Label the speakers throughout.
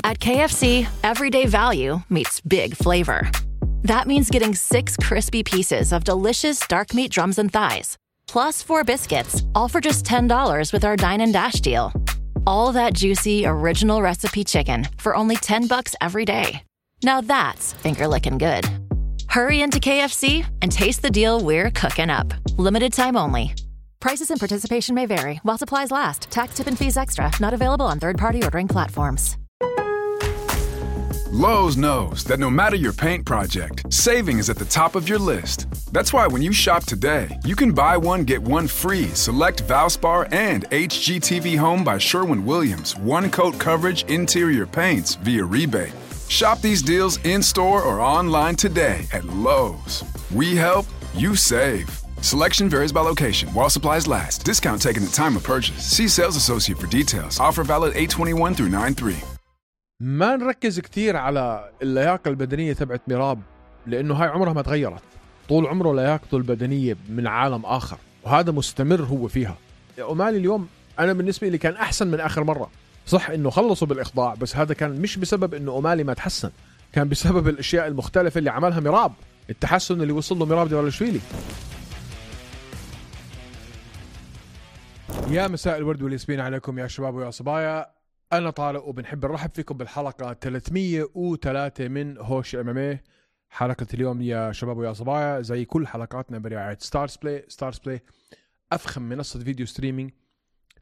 Speaker 1: At KFC, everyday value meets big flavor. That means getting 6 crispy pieces of delicious dark meat drums and thighs, plus 4 biscuits, all for just $10 with our Dine and Dash deal. All that juicy, original recipe chicken for only $10 every day. Now that's finger-licking good. Hurry into KFC and taste the deal we're cooking up. Limited time only. Prices and participation may vary while supplies last. Tax, tip, and fees extra. Not available on third-party ordering platforms.
Speaker 2: Lowe's knows that no matter your paint project, saving is at the top of your list. That's why when you shop today, you can buy one, get one free. Select Valspar and HGTV Home by Sherwin-Williams. One-coat coverage interior paints via rebate. Shop these deals in-store or online today at Lowe's. We help, you save. Selection varies by location. While supplies last. Discount taken at time of purchase. See sales associate for details. Offer valid 8/21 through 9/3.
Speaker 3: ما نركز كتير على اللياقة البدنية تبعت ميراب، لأنه هاي عمرها ما تغيرت. طول عمره لياقته البدنية من عالم آخر، وهذا مستمر هو فيها. أومالي اليوم أنا بالنسبة لي كان أحسن من آخر مرة. صح إنه خلصوا بالإخضاع، بس هذا كان مش بسبب إنه أومالي ما تحسن، كان بسبب الأشياء المختلفة اللي عملها ميراب. التحسن اللي وصل له ميراب ديفالاشفيلي. يا مساء الورد والياسمين عليكم يا شباب ويا صبايا. أنا طارق وبنحب نرحب فيكم بالحلقة 303 من هوش MMA. حلقة اليوم يا شباب ويا صبايا زي كل حلقاتنا برعاية ستارز بلاي. ستارز بلاي أفخم منصة فيديو ستريمينج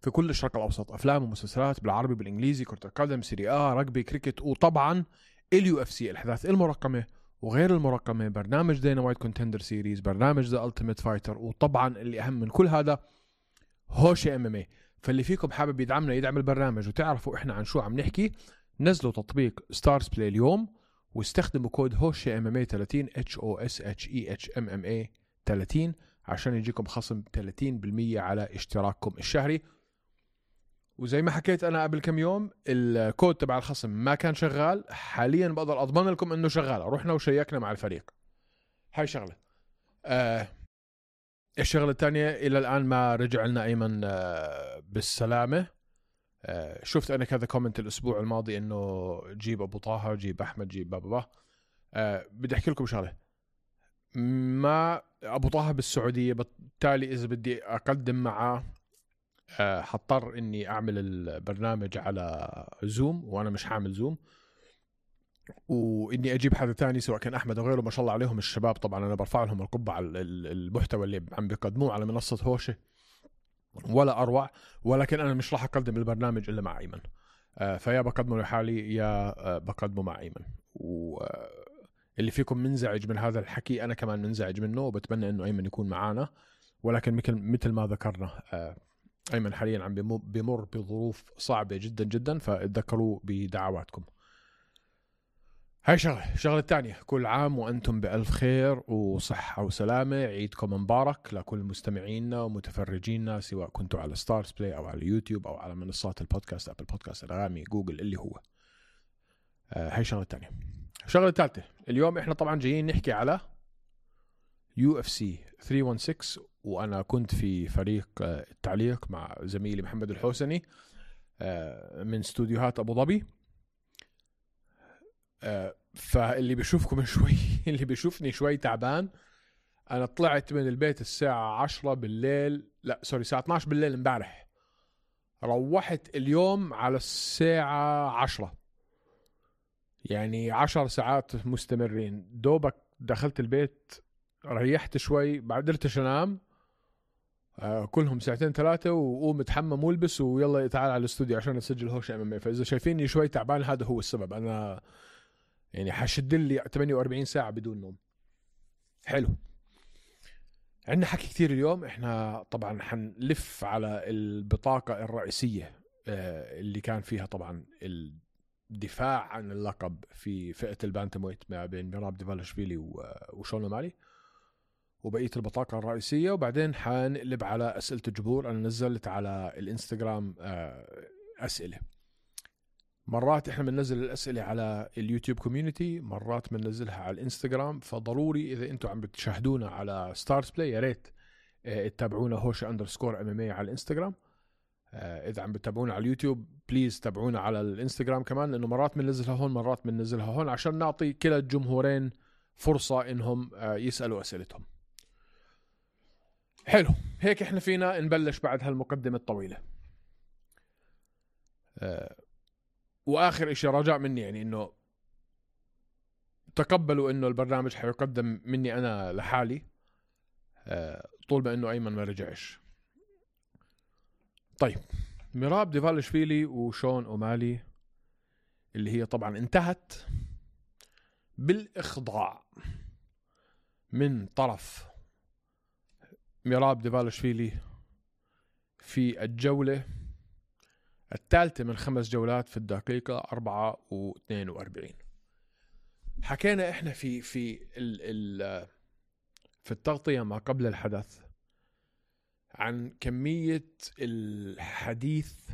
Speaker 3: في كل الشرق الأوسط، أفلام ومسلسلات بالعربي بالإنجليزي، كرة القدم، سيري رجبي، كريكت، وطبعا اليو اف سي، الأحداث المرقمة وغير المرقمة، برنامج دينا وايت كونتندر سيريز، برنامج ذا ألتيميت فايتر، وطبعا اللي أهم من كل هذا هوش MMA. فاللي فيكم حابب يدعمنا يدعم البرنامج وتعرفوا إحنا عن شو عم نحكي، نزلوا تطبيق ستارز بلاي اليوم واستخدموا كود هوش MMA 30 HOSHEHMMA 30 عشان يجيكم خصم 30% على اشتراككم الشهري. وزي ما حكيت أنا قبل كم يوم، الكود تبع الخصم ما كان شغال، حاليا بقدر أضمن لكم إنه شغال. رحنا وشيكنا مع الفريق. هاي شغلة. الشغلة الثانية، إلى الآن ما رجع لنا أيمن بالسلامة. شفت أنا كذا كومنت الأسبوع الماضي إنه جيب أبو طه، جيب أحمد، جيب بابا. بدي أحكي لكم شغلة. ما أبو طه بالسعودية، بالتالي إذا بدي أقدم معه حضطر إني أعمل البرنامج على زوم، وأنا مش حامل زوم، وإني أجيب حدا تاني سواء كان أحمد أو غيره. ما شاء الله عليهم الشباب، طبعا أنا برفع لهم القبعة على المحتوى اللي عم بيقدموه على منصة هوشة، ولا أروع. ولكن أنا مش راح أقدم البرنامج إلا مع أيمن. فيا بقدمه لحالي يا بقدمه مع أيمن. واللي فيكم منزعج من هذا الحكي أنا كمان منزعج منه، وبتمنى إنه أيمن يكون معانا. ولكن مثل ما ذكرنا، أيمن حاليا عم بيمر بظروف صعبة جدا جدا، فاتذكروا بدعواتكم. هاي شغلة الثانية، كل عام وأنتم بألف خير وصحة وسلامة. عيدكم مبارك لكل مستمعينا ومتفرجينا، سواء كنتوا على ستارز بلاي أو على يوتيوب أو على منصات البودكاست، أبل بودكاست، أنغامي، جوجل، اللي هو. هاي شغلة الثانية. الشغلة الثالثة، اليوم إحنا طبعا جايين نحكي على UFC 316، وأنا كنت في فريق التعليق مع زميلي محمد الحوسني من استوديوهات أبو ظبي. فاللي بيشوفكم شوي اللي بيشوفني شوي تعبان، أنا طلعت من البيت الساعة 10 بالليل، لا سوري الساعة 12 بالليل امبارح. روحت اليوم على الساعة 10، يعني 10 ساعات مستمرين. دوبك دخلت البيت، ريحت شوي، بعد قدرتش أنام. كلهم ساعتين 3 وقوم اتحمم والبس ويلا تعال على الاستوديو عشان نسجل هوش MMA. فإذا شايفيني شوي تعبان هذا هو السبب. أنا يعني حشد لي 48 ساعة بدون نوم. حلو. عندنا حكي كتير اليوم. احنا طبعا حنلف على البطاقة الرئيسية اللي كان فيها طبعا الدفاع عن اللقب في فئة البانتمويت ما بين ميراب ديفالاشفيلي وشون أومالي، وبقية البطاقة الرئيسية. وبعدين حنقلب على أسئلة الجمهور. أنا نزلت على الانستغرام أسئلة. مرات احنا بننزل الأسئلة على اليوتيوب كوميونيتي، مرات بننزلها على الانستغرام. فضروري إذا انتوا عم بتشاهدونا على ستارز بلاي، يا ريت تتابعونا هوش_MMA على الانستغرام. إذا عم بتابعونا على اليوتيوب بليز تابعونا على الانستغرام كمان، لأنه مرات بننزلها هون مرات بننزلها هون عشان نعطي كلا الجمهورين فرصة إنهم يسألوا أسئلتهم. حلو، هيك إحنا فينا نبلش بعد هالمقدمة الطويلة. وآخر إشي رجاء مني يعني إنه تقبلوا إنه البرنامج حيقدم مني أنا لحالي طول ما إنه أيمن ما رجعش. طيب، ميراب ديفالشفيلي وشون أومالي اللي هي طبعا انتهت بالإخضاع من طرف ميراب ديفالشفيلي في الجولة الثالثة من 5 جولات في الدقيقة 4:42. حكينا احنا في التغطية ما قبل الحدث عن كمية الحديث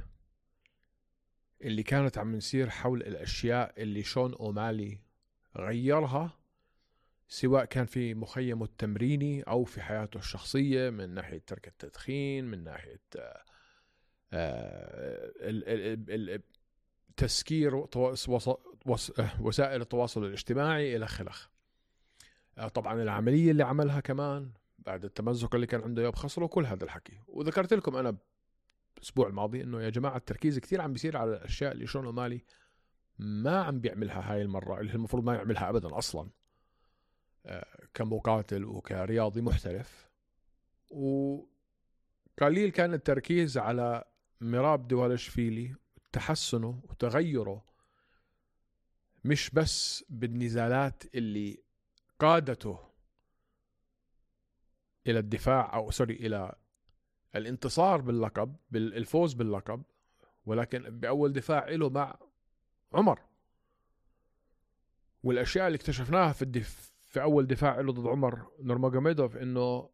Speaker 3: اللي كانت عم نصير حول الأشياء اللي شون أومالي غيرها، سواء كان في مخيمه التمريني أو في حياته الشخصية، من ناحية ترك التدخين، من ناحية تسكير وسائل التواصل الاجتماعي إلى خلخ. طبعا العملية اللي عملها كمان بعد التمزق اللي كان عنده بخصره، كل هذا الحكي. وذكرت لكم أنا الأسبوع الماضي إنه يا جماعة التركيز كتير عم بيصير على الأشياء اللي شون أومالي ما عم بيعملها هاي المرة، اللي المفروض ما يعملها أبدا أصلا كمقاتل وكرياضي محترف. وقليل كان التركيز على ميراب ديفالشفيلي، تحسنه وتغيره مش بس بالنزالات اللي قادته إلى الدفاع أو إلى الانتصار باللقب، بالفوز باللقب، ولكن بأول دفاع له مع عمر، والأشياء اللي اكتشفناها في أول دفاع له ضد عمر نورماجوميدوف، إنه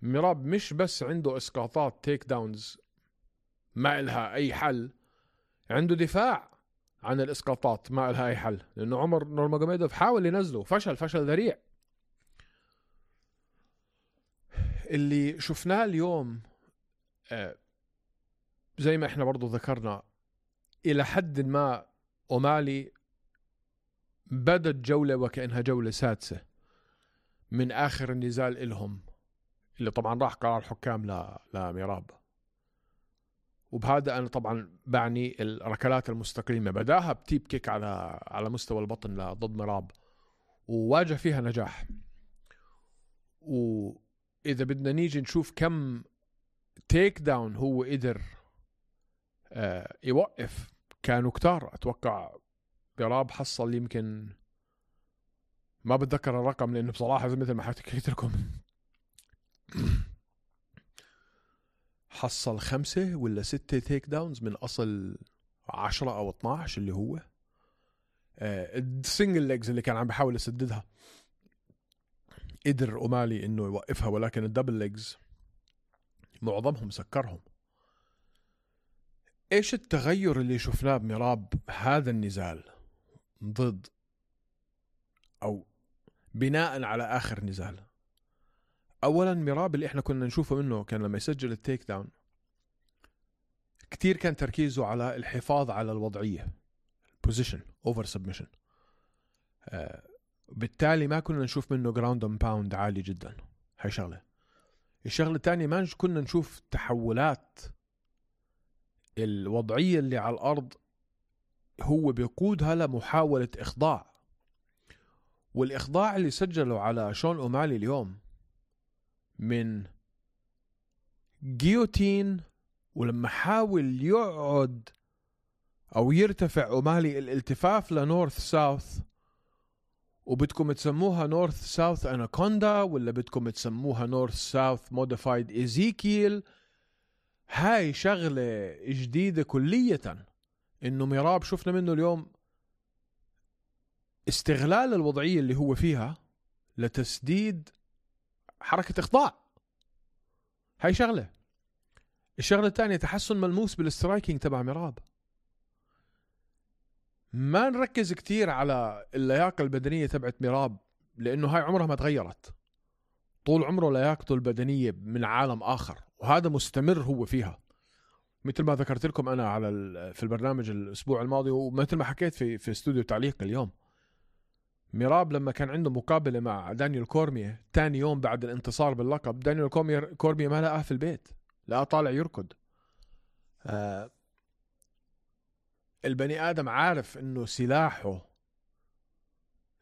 Speaker 3: ميراب مش بس عنده إسقاطات تيك داونز ما إلها أي حل، عنده دفاع عن الإسقاطات ما إلها أي حل، لأنه عمر نورماجوميدوف حاول ينزله، فشل ذريع. اللي شفناه اليوم زي ما احنا برضو ذكرنا، إلى حد ما أومالي بدت جولة وكأنها جولة سادسة من آخر النزال إلهم، اللي طبعا راح قرار حكام لميراب. وبهذا أنا طبعا بعني الركلات المستقيمة، بداها بتيب كيك على مستوى البطن ضد ميراب وواجه فيها نجاح. وإذا بدنا نيجي نشوف كم تيك داون هو قدر يوقف، كانوا كتار. أتوقع ميراب حصل يمكن، ما بتذكر الرقم لأنه بصراحة مثل ما حكيت لكم حصل 5 ولا 6 تيك داونز من أصل 10 أو 12 اللي هو السنجل ليجز اللي كان عم بحاول يسددها قدر أومالي إنه يوقفها، ولكن الدبل ليجز معظمهم سكرهم. إيش التغير اللي شفناه بميراب هذا النزال ضد أو بناء على آخر نزال؟ أولا ميراب اللي إحنا كنا نشوفه منه كان لما يسجل التيك داون كتير كان تركيزه على الحفاظ على الوضعية، position over submission. بالتالي ما كنا نشوف منه ground and pound عالي جدا. هاي شغلة. الشغلة الثانية ما كنا نشوف تحولات الوضعية اللي على الأرض هو بيقودها لمحاولة إخضاع. والإخضاع اللي سجله على شون أومالي اليوم من جيوتين، ولما حاول يقعد أو يرتفع أومالي الالتفاف لنورث ساوث، وبدكم تسموها نورث ساوث أناكوندا ولا بدكم تسموها نورث ساوث موديفايد إيزيكيل، هاي شغلة جديدة كلية. إنه ميراب شفنا منه اليوم استغلال الوضعية اللي هو فيها لتسديد حركة إخضاع. هاي شغلة. الشغلة الثانية تحسن ملموس بالاسترايكينج تبع ميراب. ما نركز كتير على اللياقة البدنية تبعت ميراب، لأنه هاي عمرها ما تغيرت. طول عمره لياقته البدنية من عالم آخر، وهذا مستمر هو فيها. مثل ما ذكرت لكم أنا في البرنامج الأسبوع الماضي، ومثل ما حكيت في استوديو تعليق اليوم، ميراب لما كان عنده مقابلة مع دانيال كورمية تاني يوم بعد الانتصار باللقب، دانيال كورمية ما لقاه في البيت، لقاه طالع يركض. البني آدم عارف إنه سلاحه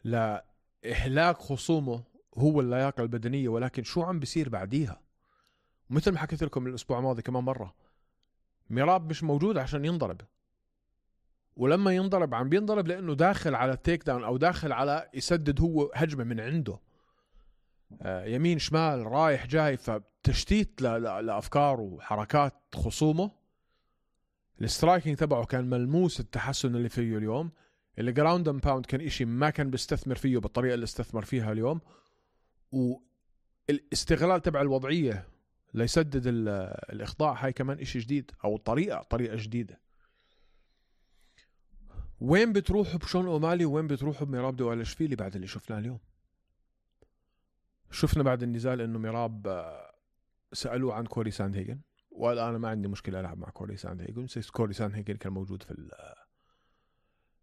Speaker 3: لإهلاك خصومه هو اللياقة البدنية، ولكن شو عم بيصير بعديها؟ مثل ما حكيت لكم الأسبوع الماضي كمان مرة، ميراب مش موجود عشان ينضرب، ولما ينضرب عم بينضرب لأنه داخل على التيك داون أو داخل على يسدد هو هجمة من عنده، يمين شمال رايح جاي، فتشتيت لأفكار وحركات خصومه. السترايكينج تبعه كان ملموس التحسن اللي فيه اليوم. الجراوند اند باوند كان إشي ما كان بيستثمر فيه بالطريقة اللي استثمر فيها اليوم، والاستغلال تبع الوضعية ليسدد الإخضاع هاي كمان إشي جديد، أو طريقة جديدة. وين بتروحوا بشون أومالي وين بتروحوا بميراب دوالشفيلي بعد اللي شفناه اليوم؟ شفنا بعد النزال إنه ميراب سألوه عن كوري ساندهيجن، وقال أنا ما عندي مشكلة ألعب مع كوري ساندهيجن. كوري ساندهيجن كان موجود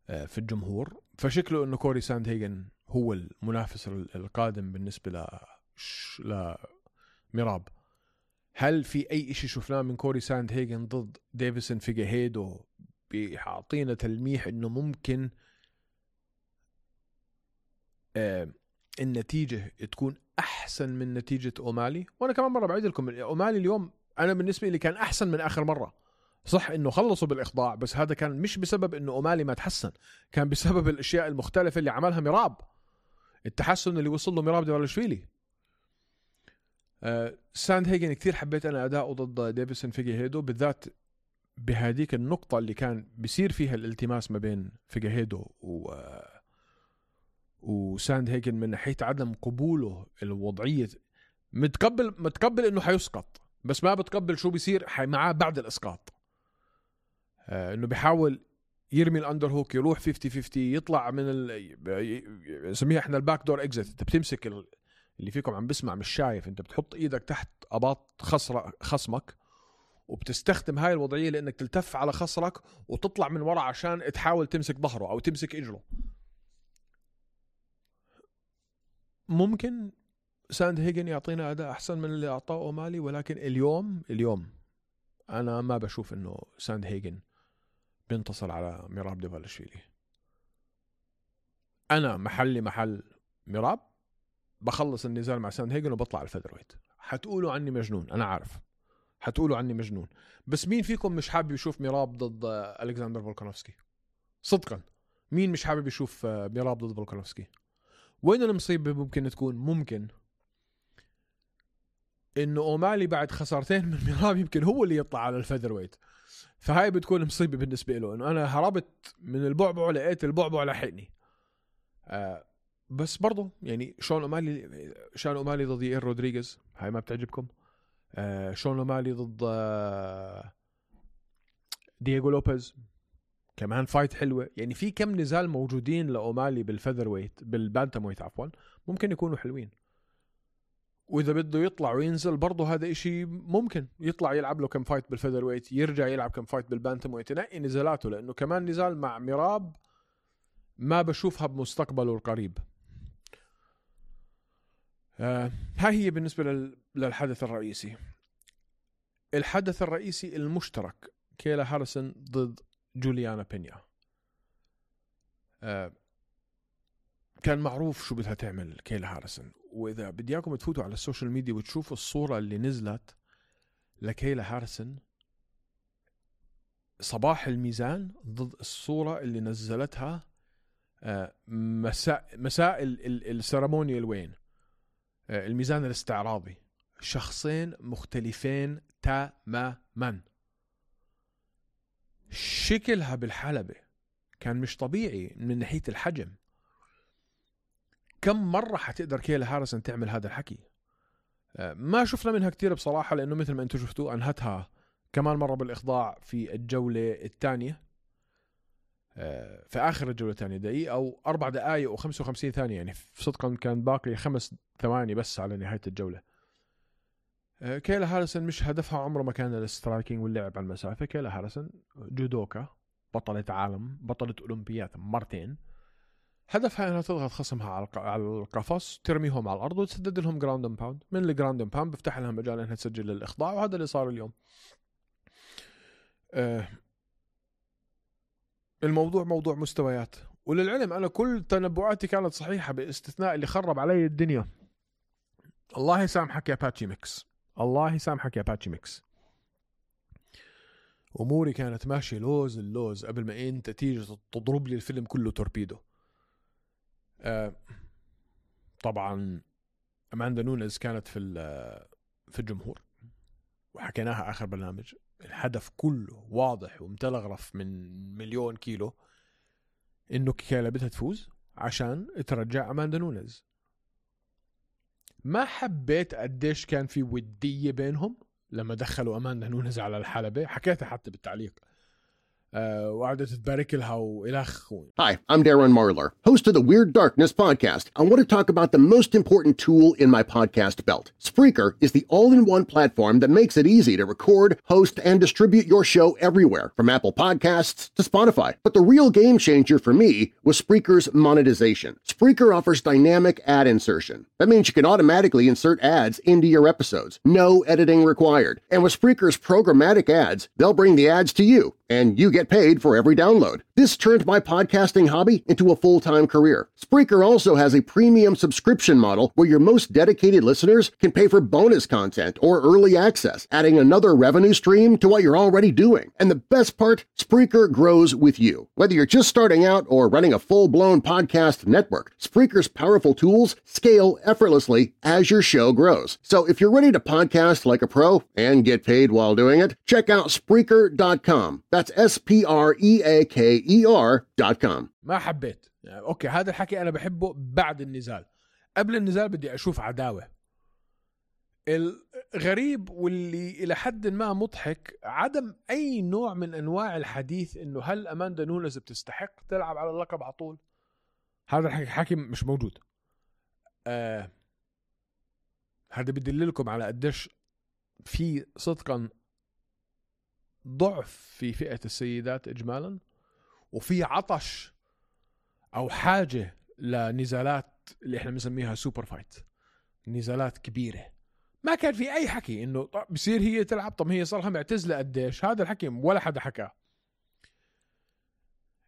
Speaker 3: في الجمهور، فشكله إنه كوري ساندهيجن هو المنافس القادم بالنسبة لميراب. هل في أي إشي شفناه من كوري ساندهيجن ضد ديفيسون فيجيهيدو بيعطينا تلميح إنه ممكن النتيجة تكون أحسن من نتيجة أومالي؟ وأنا كمان مرة بعيد لكم، أومالي اليوم أنا بالنسبة لي كان أحسن من آخر مرة. صح إنه خلصوا بالإخضاع، بس هذا كان مش بسبب إنه أومالي ما تحسن، كان بسبب الأشياء المختلفة اللي عملها ميراب، التحسن اللي وصل له ميراب دوالشفيلي. ساندهيجن كتير حبيت أنا أداؤه ضد ديفيسون فيجيهيدو، بالذات بهذيك النقطة اللي كان بيصير فيها الالتماس ما بين فيجيهيدو وساندهيجن من ناحية عدم قبوله الوضعية. متقبل إنه حيسقط، بس ما بتقبل شو بيصير معاه بعد الإسقاط. إنه بيحاول يرمي الأندر هوك، يروح 50-50، يطلع من نسميها إحنا الباك دور إكزيت. أنت بتمسك اللي فيكم عم بسمع مش شايف، أنت بتحط إيدك تحت أباط خصمك، وبتستخدم هاي الوضعية لأنك تلتف على خصرك وتطلع من وراء عشان تحاول تمسك ظهره أو تمسك إجره. ممكن ساندهيجن يعطينا أداء أحسن من اللي أعطاه أومالي، ولكن اليوم أنا ما بشوف إنه ساندهيجن بينتصر على ميراب دوالشفيلي. أنا محل ميراب بخلص النزال مع ساندهيجن وبطلع على الفيذرويت. حتقولوا عني مجنون، أنا عارف حتقولوا عني مجنون، بس مين فيكم مش حابب يشوف ميراب ضد ألكسندر فولكانوفسكي؟ صدقا مين مش حابب يشوف ميراب ضد فولكانوفسكي؟ وين المصيبة ممكن تكون؟ ممكن إنه أومالي بعد خسارتين من ميراب يمكن هو اللي يطلع على الفيذرويت، فهاي بتكون مصيبة بالنسبة له، إنه أنا هربت من البعبع لقيت البعبع لحقني. بس برضو يعني شون أومالي ضد يائير رودريغيز، هاي ما بتعجبكم؟ شون أومالي ضد دييغو لوبيز كمان فايت حلوة. يعني في كم نزال موجودين لأومالي بالفيذرويت بالبانتامويت عفوا ممكن يكونوا حلوين، وإذا بده يطلع وينزل برضه هذا إشي ممكن يطلع يلعب له كم فايت بالفيذرويت، يرجع يلعب كم فايت بالبانتامويت، ينقي نزالاته، لأنه كمان نزال مع ميراب ما بشوفها بمستقبله القريب. هاي هي بالنسبة للحدث الرئيسي. الحدث الرئيسي المشترك كيلا هاريسون ضد جوليانا بينيا. كان معروف شو بدها تعمل كيلا هاريسون، وإذا بدياكم تفوتوا على السوشيال ميديا وتشوفوا الصورة اللي نزلت لكيلا هاريسون صباح الميزان ضد الصورة اللي نزلتها مساء السيرمونيال وين الميزان الاستعراضي، شخصين مختلفين تماما. شكلها بالحلبة كان مش طبيعي من ناحية الحجم. كم مرة حتقدر كيلا هاريسون تعمل هذا الحكي؟ ما شفنا منها كتير بصراحة، لأنه مثل ما أنتم شفتوا أنهتها كمان مرة بالإخضاع في الجولة الثانية، في آخر الجولة الثانية دقيقة أو 4 دقائق و55 ثانية، يعني صدقا كان باقي 5 ثواني بس على نهاية الجولة. كيلا هاريسون مش هدفها عمره ما كان السترايكينج واللعب على المسافة. كيلا هاريسون جودوكا، بطلة عالم، بطلة أولمبيات مرتين. هدفها انها تضغط خصمها على القفص، ترميهم على الارض وتسدد لهم جراوند اند باوند. من الجراوند اند باوند بفتح لها مجال انها تسجل الاخضاع، وهذا اللي صار اليوم. الموضوع موضوع مستويات. وللعلم انا كل تنبؤاتي كانت صحيحة باستثناء اللي خرب علي الدنيا. الله يسامحك يا باتشي ميكس، الله يسامحك يا باتشي ميكس. اموري كانت ماشية لوز اللوز قبل ما انت تيجي تضرب لي الفيلم كله توربيدو. طبعا أماندا نونيز كانت في الجمهور، وحكيناها آخر برنامج. الهدف كله واضح ومتلغرف من 1,000,000 كيلو، إنه كيلا بدها تفوز عشان ترجع أماندا نونيز. ما حبيت قديش كان في ودية بينهم لما دخلوا أماندا نونيز على الحلبة. حكيتها حتى بالتعليق، وقعدت تبارك لها وإلخ.
Speaker 4: Hi, I'm Darren Marlar, host of the Weird Darkness podcast. I want to talk about the most important tool in my podcast belt. Spreaker is the all-in-one platform that makes it easy to record, host, and distribute your show everywhere, from Apple Podcasts to Spotify. But the real game changer for me was Spreaker's monetization. Spreaker offers dynamic ad insertion. That means you can automatically insert ads into your episodes. No editing required. And with Spreaker's programmatic ads, they'll bring the ads to you, and you get paid for every download. This turned my podcasting hobby into a full-time career. Spreaker also has a premium subscription model where your most dedicated listeners can pay for bonus content or early access, adding another revenue stream to what you're already doing. And the best part, Spreaker grows with you. Whether you're just starting out or running a full-blown podcast network, Spreaker's powerful tools scale effortlessly as your show grows. So if you're ready to podcast like a pro and get paid while doing it, check out Spreaker.com. That's SPREAKER.com.
Speaker 3: ما حبيت. اوكي، هذا الحكي انا بحبه بعد النزال. قبل النزال بدي اشوف عداوة. الغريب واللي الى حد ما مضحك عدم اي نوع من انواع الحديث انه هل أماندا نونيز بتستحق تلعب على اللقب على طول. هذا الحكي مش موجود. هذا بيدللكم على قديش في صدقا ضعف في فئة السيدات إجمالا، وفي عطش أو حاجة لنزالات اللي إحنا بنسميها سوبر فايت، نزالات كبيرة. ما كان في أي حكي إنه بصير هي تلعب. طب هي صارها معتزلة قديش؟ هذا الحكي ولا حدا حكاه.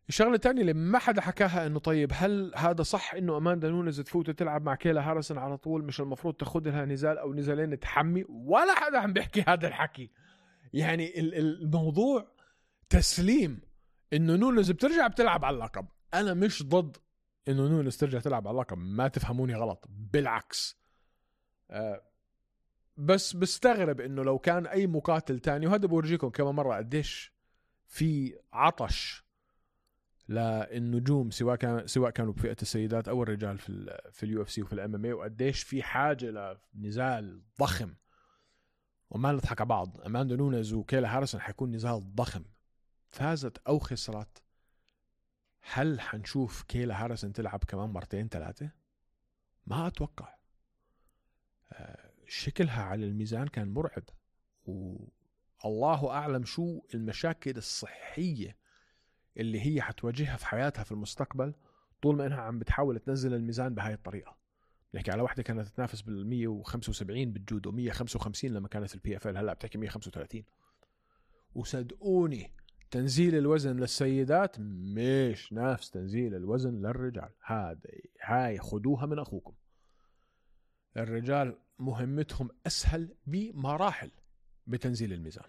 Speaker 3: الشغلة الثانية اللي ما حدا حكاها إنه طيب هل هذا صح إنه أماندا نونيز تفوت تلعب مع كيلا هاريسون على طول؟ مش المفروض تاخد لها نزال أو نزالين تحمي؟ ولا حدا عم بيحكي هذا الحكي. يعني الموضوع تسليم إنه نونيز بترجع بتلعب على اللقب. أنا مش ضد إنه نونيز ترجع تلعب على اللقب، ما تفهموني غلط، بالعكس. بس بستغرب إنه لو كان أي مقاتل تاني، وهذا بورجيكم كمان مرة قديش في عطش للنجوم سواء كانوا بفئة السيدات أو الرجال في اليو اف سي وفي الام ام اي، وقديش في حاجة لنزال ضخم. وما نضحك على بعض، أماندا نونيز وكيلا هاريسون حيكون نزال ضخم. فازت أو خسرت، هل حنشوف كيلا هاريسون تلعب كمان مرتين ثلاثة؟ ما أتوقع. شكلها على الميزان كان مرعب، والله أعلم شو المشاكل الصحية اللي هي حتواجهها في حياتها في المستقبل طول ما إنها عم بتحاول تنزل الميزان بهاي الطريقة. نحكي على واحدة كانت تتنافس بال175 بالجودو، 155 لما كانت في البي اف ال، هلا بتحكي 135. وصدقوني تنزيل الوزن للسيدات مش نفس تنزيل الوزن للرجال. هاي خدوها من أخوكم. الرجال مهمتهم أسهل بمراحل بتنزيل الميزان.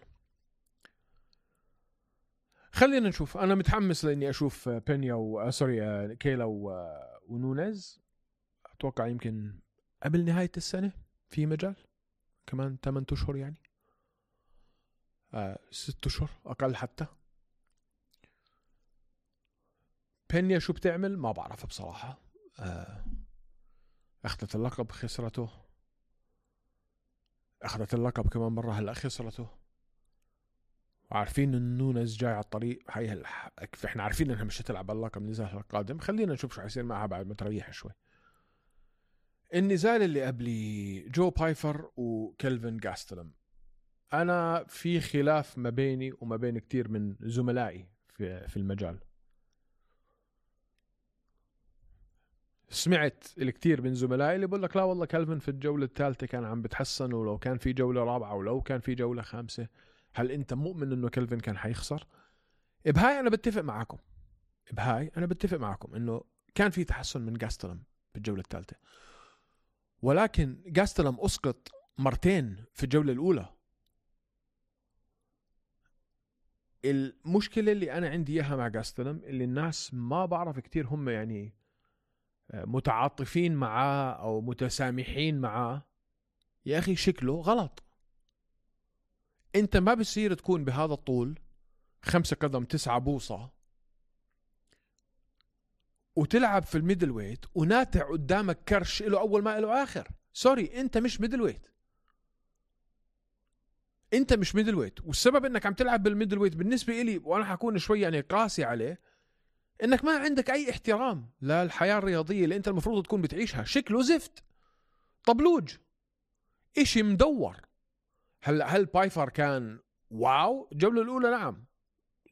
Speaker 3: خلينا نشوف. أنا متحمس لأني أشوف بينيا كيلا ونونيز. أتوقع يمكن قبل نهاية السنة في مجال، كمان 8 أشهر، يعني 6 أشهر أقل حتى. بينيا شو بتعمل ما بعرف بصراحة. أخذت اللقب خسرته، أخذت اللقب كمان مرة هلأ خسرته، وعارفين إن نونيز جاي على الطريق. إحنا عارفين إنها مش هتلعب اللقب النزال القادم. خلينا نشوف شو حيصير معها بعد ما تريح شوي. النزال اللي قبلي جو بايفر وكلفن جاستلم، أنا في خلاف ما بيني وما بين كتير من زملائي في المجال. سمعت الكثير من زملائي اللي بقول لك لا والله كلفن في الجولة الثالثة كان عم بتحسن، ولو كان في جولة رابعة ولو كان في جولة خامسة. هل أنت مؤمن إنه كلفن كان حيخسر؟ بهاي أنا بتفق معكم إنه كان في تحسن من جاستلم في الجولة الثالثة، ولكن جاستلم أسقط مرتين في الجولة الأولى. المشكلة اللي أنا عندي إياها مع جاستلم اللي الناس ما بعرف كتير هم يعني متعاطفين معاه أو متسامحين معاه. يا أخي شكله غلط. أنت ما بصير تكون بهذا الطول 5 قدم 9 بوصة وتلعب في الميدل ويت وناتع قدامك كرش له أول ما له آخر. سوري، أنت مش ميدل ويت. والسبب أنك عم تلعب بالميدل ويت بالنسبة إلي، وأنا حكون شوي يعني قاسي عليه، انك ما عندك اي احترام للحياة الرياضية اللي انت المفروض تكون بتعيشها. شكله زفت، طبلوج، اشي مدور. هل بايفر كان واو الجولة الاولى؟ نعم.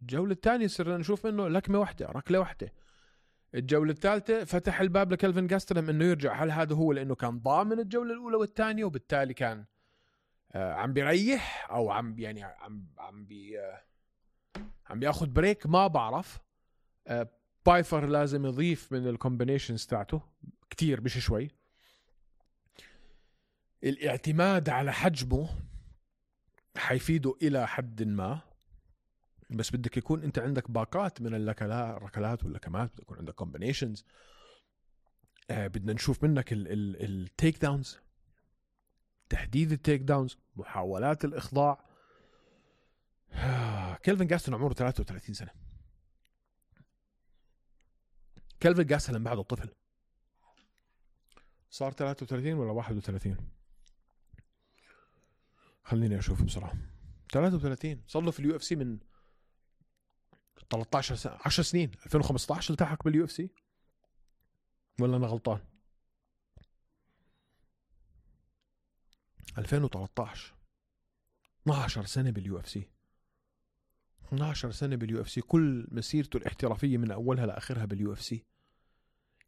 Speaker 3: الجولة الثانية صرنا نشوف منه لكمة واحدة، ركلة واحدة. الجولة الثالثة فتح الباب لكلفن جاستلم انه يرجع. هل هذا هو لانه كان ضامن الجولة الاولى والثانية وبالتالي كان عم بيريح او عم بياخد بريك؟ ما بعرف. بايفر لازم يضيف من الكومبينيشنز تاعته كتير، مش شوي. الاعتماد على حجمه حيفيده إلى حد ما، بس بدك يكون أنت عندك باقات من الركلات واللكمات، بدك يكون عندك كومبينيشنز. بدنا نشوف منك التيك داونز، تحديد التيك داونز، محاولات الإخضاع. كلفن جاستلم عمره 33 سنة. كلفن جاستلم بعده طفل، صار 33 ولا 31؟ خليني أشوف بسرعة. 33. صار له في اليو اف سي من 13 سنة، 10 سنين. 2015 التحق باليو اف سي ولا أنا غلطان؟ 2013. 12 سنة باليو اف سي. 12 سنة باليو اف سي، كل مسيرته الاحترافية من أولها لآخرها باليو اف سي.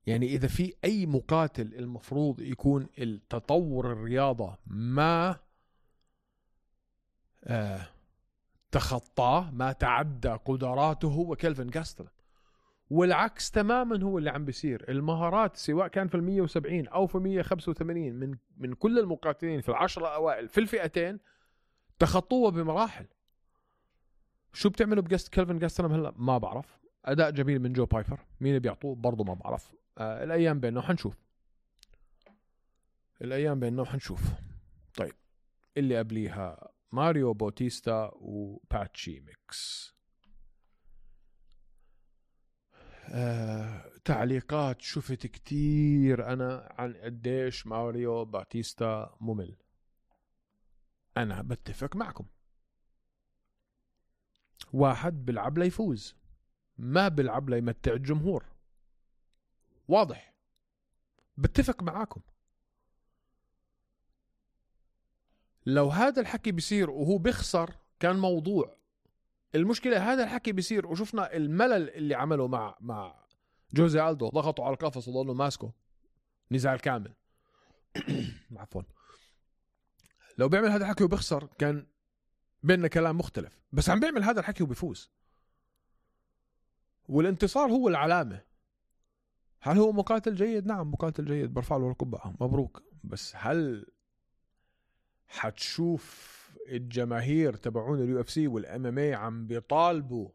Speaker 3: يعني إذا في أي مقاتل المفروض يكون التطور الرياضة ما تخطاه، ما تعدى قدراته، هو كلفن جاستلم. والعكس تماما هو اللي عم بيصير. المهارات سواء كان في 170 أو في 185 من كل المقاتلين في 10 أوائل في الفئتين تخطوه بمراحل. شو بتعملوا كلفن جاستلم هلا؟ ما بعرف. أداء جميل من جو بايفر، مين اللي بيعطوه برضو ما بعرف. الأيام بيننا وحنشوف. طيب اللي قبليها ماريو بوتيستا وباتشي ميكس. تعليقات شفت كتير أنا عن قديش ماريو بوتيستا ممل. أنا بتفق معكم. واحد بلعب ليفوز، ما بلعب ليمتع الجمهور. واضح. بتفق معاكم. لو هذا الحكي بيصير وهو بيخسر كان موضوع. المشكلة هذا الحكي بيصير وشفنا الملل اللي عمله مع جوزي ألدو، ضغطوا على القفص وضلوا ماسكه نزال كامل. عفوا. لو بيعمل هذا الحكي وبيخسر كان بيننا كلام مختلف، بس عم بيعمل هذا الحكي وبيفوز، والانتصار هو العلامة. هل هو مقاتل جيد؟ نعم مقاتل جيد، برفع له القبعة، مبروك. بس هل حتشوف الجماهير تبعون اليو اف سي والام ام اي عم بيطالبوا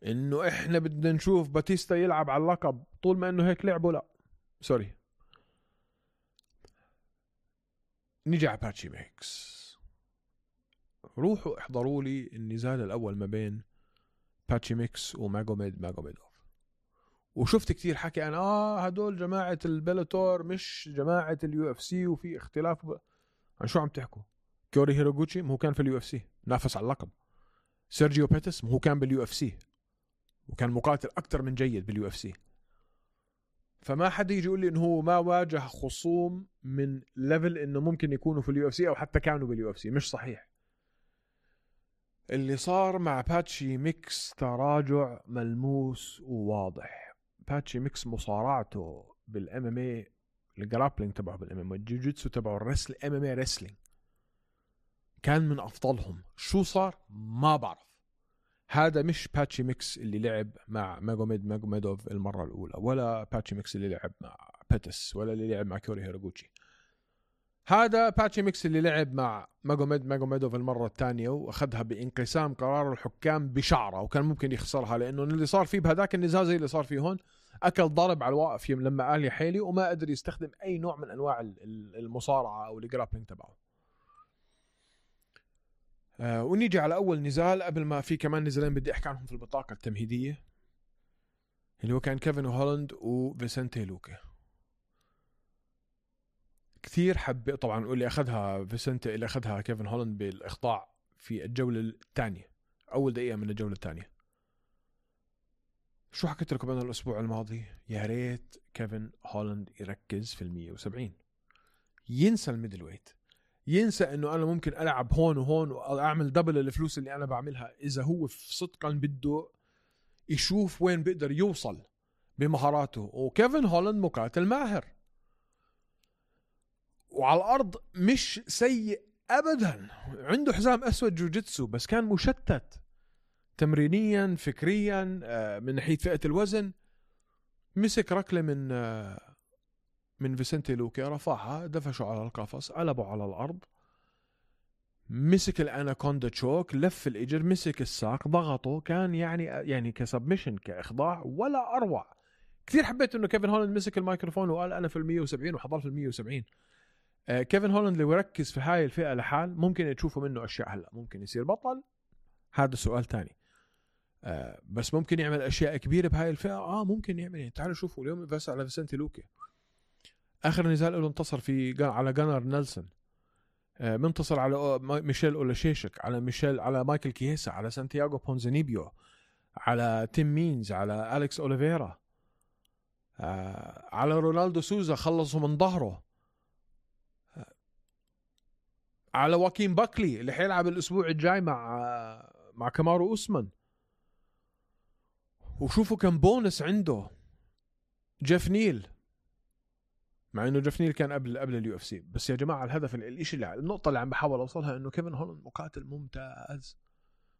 Speaker 3: انه احنا بدنا نشوف باتيستا يلعب على اللقب طول ما انه هيك لعبوا؟ لا سوري. نيجي على باتشي ميكس. روحوا احضروا لي النزال الاول ما بين باتشي ميكس وماجوميدوف. وشفت كتير حكي انا هدول جماعة البيلاتور مش جماعة اليو اف سي وفي اختلاف. عن شو عم تحكوا؟ كوري هيروغوتشي هو كان في اليو اف سي نافس على اللقب. سيرجيو بيتس هو كان باليو اف سي وكان مقاتل اكتر من جيد باليو اف سي. فما حد يجي يقول لي انه هو ما واجه خصوم من ليفل انه ممكن يكونوا في اليو اف سي او حتى كانوا باليو اف سي. مش صحيح. اللي صار مع باتشي ميكس تراجع ملموس وواضح. باتشي ميكس مصارعته بالام ام اي، الجرابلينج تبعه بالام ام اي، الجوجيتسو تبعه، الرسل ام ام اي رسلينج كان من افضلهم. شو صار ما بعرف. هذا مش باتشي ميكس اللي لعب مع ماجوميدوف المره الاولى، ولا باتشي ميكس اللي لعب مع بيتس، ولا اللي لعب مع كوري هيروغوتشي. هذا باتشي ميكس اللي لعب مع ماجوميدوف المره الثانيه واخذها بانقسام قرار الحكام بشعره، وكان ممكن يخسرها لانه اللي صار فيه بهذاك النزال زي اللي صار فيه هون. اكل ضرب على الواقف لما قال يا حيلي، وما قدر يستخدم اي نوع من انواع المصارعه او الجرابلينج تبعه. ونيجي على اول نزال قبل ما في كمان نزالين بدي احكي عنهم في البطاقه التمهيديه، اللي هو كان كيفن هولاند وفيسنتي لوكا. كثير حب طبعا اللي اخذها فيسنتي، اللي اخذها كيفن هولاند بالاخضاع في الجوله الثانيه، اول دقيقه من الجوله الثانيه. شو حكيت لكم انا الاسبوع الماضي؟ يا ريت كيفن هولاند يركز في ال170، ينسى الميدل ويت، ينسى انه انا ممكن العب هون وهون واعمل دبل الفلوس اللي انا بعملها. اذا هو في صدقا بده يشوف وين بيقدر يوصل بمهاراته. وكيفن هولاند مقاتل ماهر، وعلى الارض مش سيء ابدا. عنده حزام اسود جوجيتسو، بس كان مشتت تمرينيا فكريا من ناحيه فئه الوزن. مسك ركله من فيسنتي لوكا، رفعها، دفشه على القفص، قلبه على الارض، مسك الاناكوندا تشوك، لف الاجر، مسك الساق، ضغطه. كان يعني كسبمشن، كاخضاع ولا اروع. كثير حبيت انه كيفن هولاند مسك الميكروفون وقال انا في ال170 وحضر في ال170. كيفن هولاند لو يركز في هاي الفئه لحال ممكن تشوفوا منه اشياء. هلا ممكن يصير بطل، هذا سؤال تاني. بس ممكن يعمل اشياء كبيره بهاي الفئه. ممكن يعمل. يعني تعالوا شوفوا اليوم بس على فيسنتي لوكا، اخر نزال له انتصر على جانر نيلسون، منتصر على ميشيل اولاشيشك، على مايكل كييسا، على سانتياغو بونزانيبيو، على تيم مينز، على أليكس أوليفيرا، على رونالدو سوزا خلصوا من ظهره، على واكين باكلي اللي حيلعب الأسبوع الجاي مع كامارو أوسمان. وشوفوا كم بونس عنده جيف نيل، مع انه جيف نيل كان قبل اليو اف سي. بس يا جماعه الهدف النقطه اللي عم بحاول اوصلها انه كيفن هولاند مقاتل ممتاز،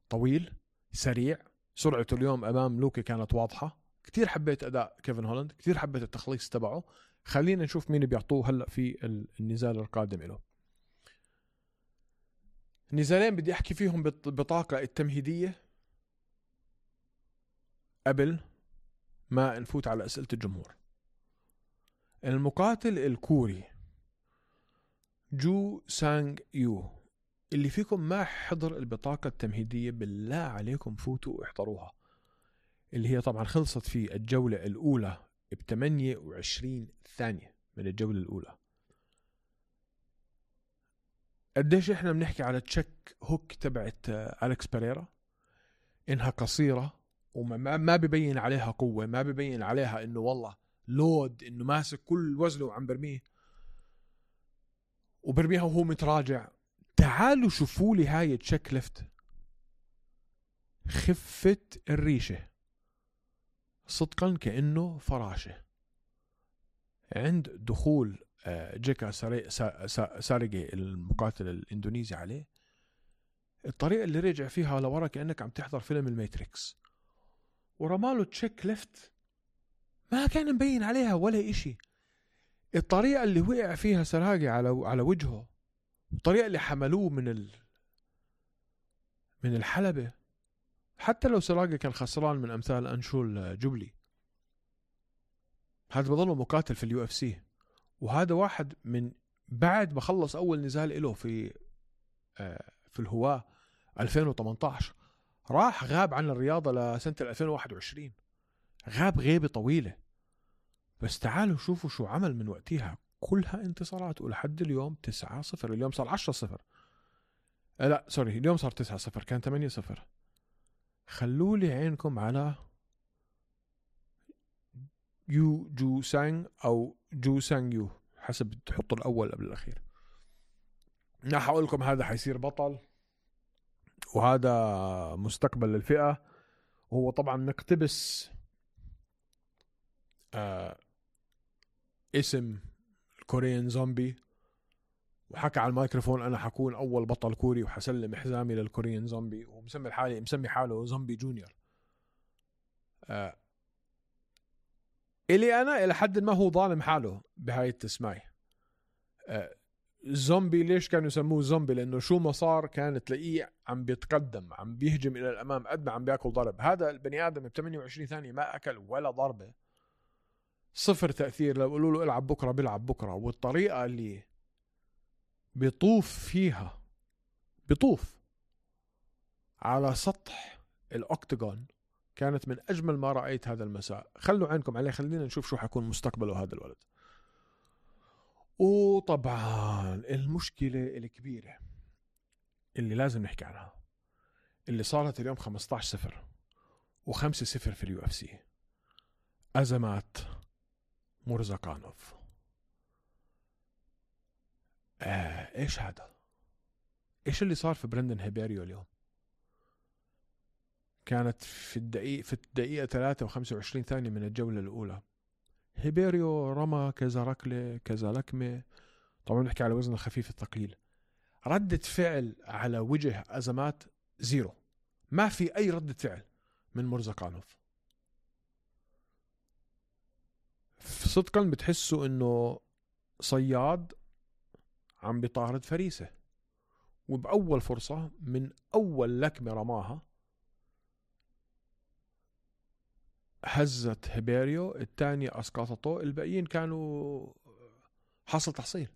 Speaker 3: طويل، سريع. سرعته اليوم امام لوكا كانت واضحه. كتير حبيت اداء كيفن هولاند، كتير حبيت التخليص تبعه. خلينا نشوف مين بيعطوه هلا في النزال القادم له. نزالين بدي احكي فيهم بالبطاقه التمهيديه قبل ما نفوت على اسئله الجمهور. المقاتل الكوري جو سانغ يو، اللي فيكم ما حضر البطاقة التمهيدية بالله عليكم فوتوا واحضروها، اللي هي طبعا خلصت في الجولة الأولى ب28 ثانية من الجولة الأولى. قديش احنا بنحكي على تشيك هوك تبعت أليكس بيريرا، إنها قصيرة وما ببين عليها قوة، ما ببين عليها إنه والله لود، إنه ماسك كل وزنه وعم برميه وبرميها وهو متراجع. تعالوا شوفوا لي هاي تشيك ليفت، خفة الريشة صدقا كأنه فراشة. عند دخول جيكا ساريجي المقاتل الإندونيسي عليه، الطريقة اللي رجع فيها لورا كأنك عم تحضر فيلم الماتريكس، ورماله تشيك ليفت ما كان مبين عليها ولا إشي. الطريقة اللي وقع فيها سراجي على وجهه، الطريقة اللي حملوه من الحلبة، حتى لو سراجي كان خسران من أمثال أنشول جوبلي، هذا بظله مقاتل في اليو اف سي. وهذا واحد من بعد ما خلص أول نزال له في الهواة 2018 راح غاب عن الرياضة لسنة 2021، غاب غيبة طويلة. بس تعالوا شوفوا شو عمل من وقتها، كلها انتصارات. ولحد اليوم 9-0، اليوم صار 10-0، لا سوري اليوم صار 9-0، كان 8-0. خلوا لي عينكم على يو جو سانغ أو جو سانغ يو، حسب تحطوا الأول قبل الأخير. راح أقول لكم هذا حيصير بطل، وهذا مستقبل للفئة. وهو طبعا نقتبس اسم الكوريين زومبي، وحكى على الميكروفون أنا حكون أول بطل كوري وحسلم حزامي للكوريين زومبي، ومسمي حاله زومبي جونيور. إلي أنا إلى حد ما هو ظالم حاله بهاي التسمية. زومبي ليش كانوا يسموه زومبي؟ لأنه شو ما صار كان تلاقيه عم بيتقدم، عم بيهجم إلى الأمام قد ما عم بيأكل ضرب. هذا البني آدم ب 28 ثانية ما أكل ولا ضربة، صفر تأثير. لو قالوا له العب بكرة بيلعب بكرة. والطريقة اللي بيطوف فيها، بيطوف على سطح الأوكتاغون، كانت من أجمل ما رأيت هذا المساء. خلوا عينكم عليه، خلينا نشوف شو حيكون مستقبله هذا الولد. وطبعا المشكلة الكبيرة اللي لازم نحكي عنها اللي صارت اليوم 15-0 و5-0 في اليو اف سي، أزمات مورزاقانوف. ايش هذا؟ ايش اللي صار في برندن هيبيريو اليوم؟ كانت في الدقيقة 3 و25 ثانية من الجولة الأولى هيبيريو رمى كذا ركلة كذا لكمة. طبعا نحكي على وزن الخفيف الثقيل. ردة فعل على وجه أزمات زيرو، ما في أي ردة فعل من مورزاقانوف. صدقا بتحسوا إنه صياد عم بيطارد فريسة، وبأول فرصة من أول لكمة رماها هزت هيبيريو، الثانية أسقطته، الباقيين كانوا حصل تحصيل.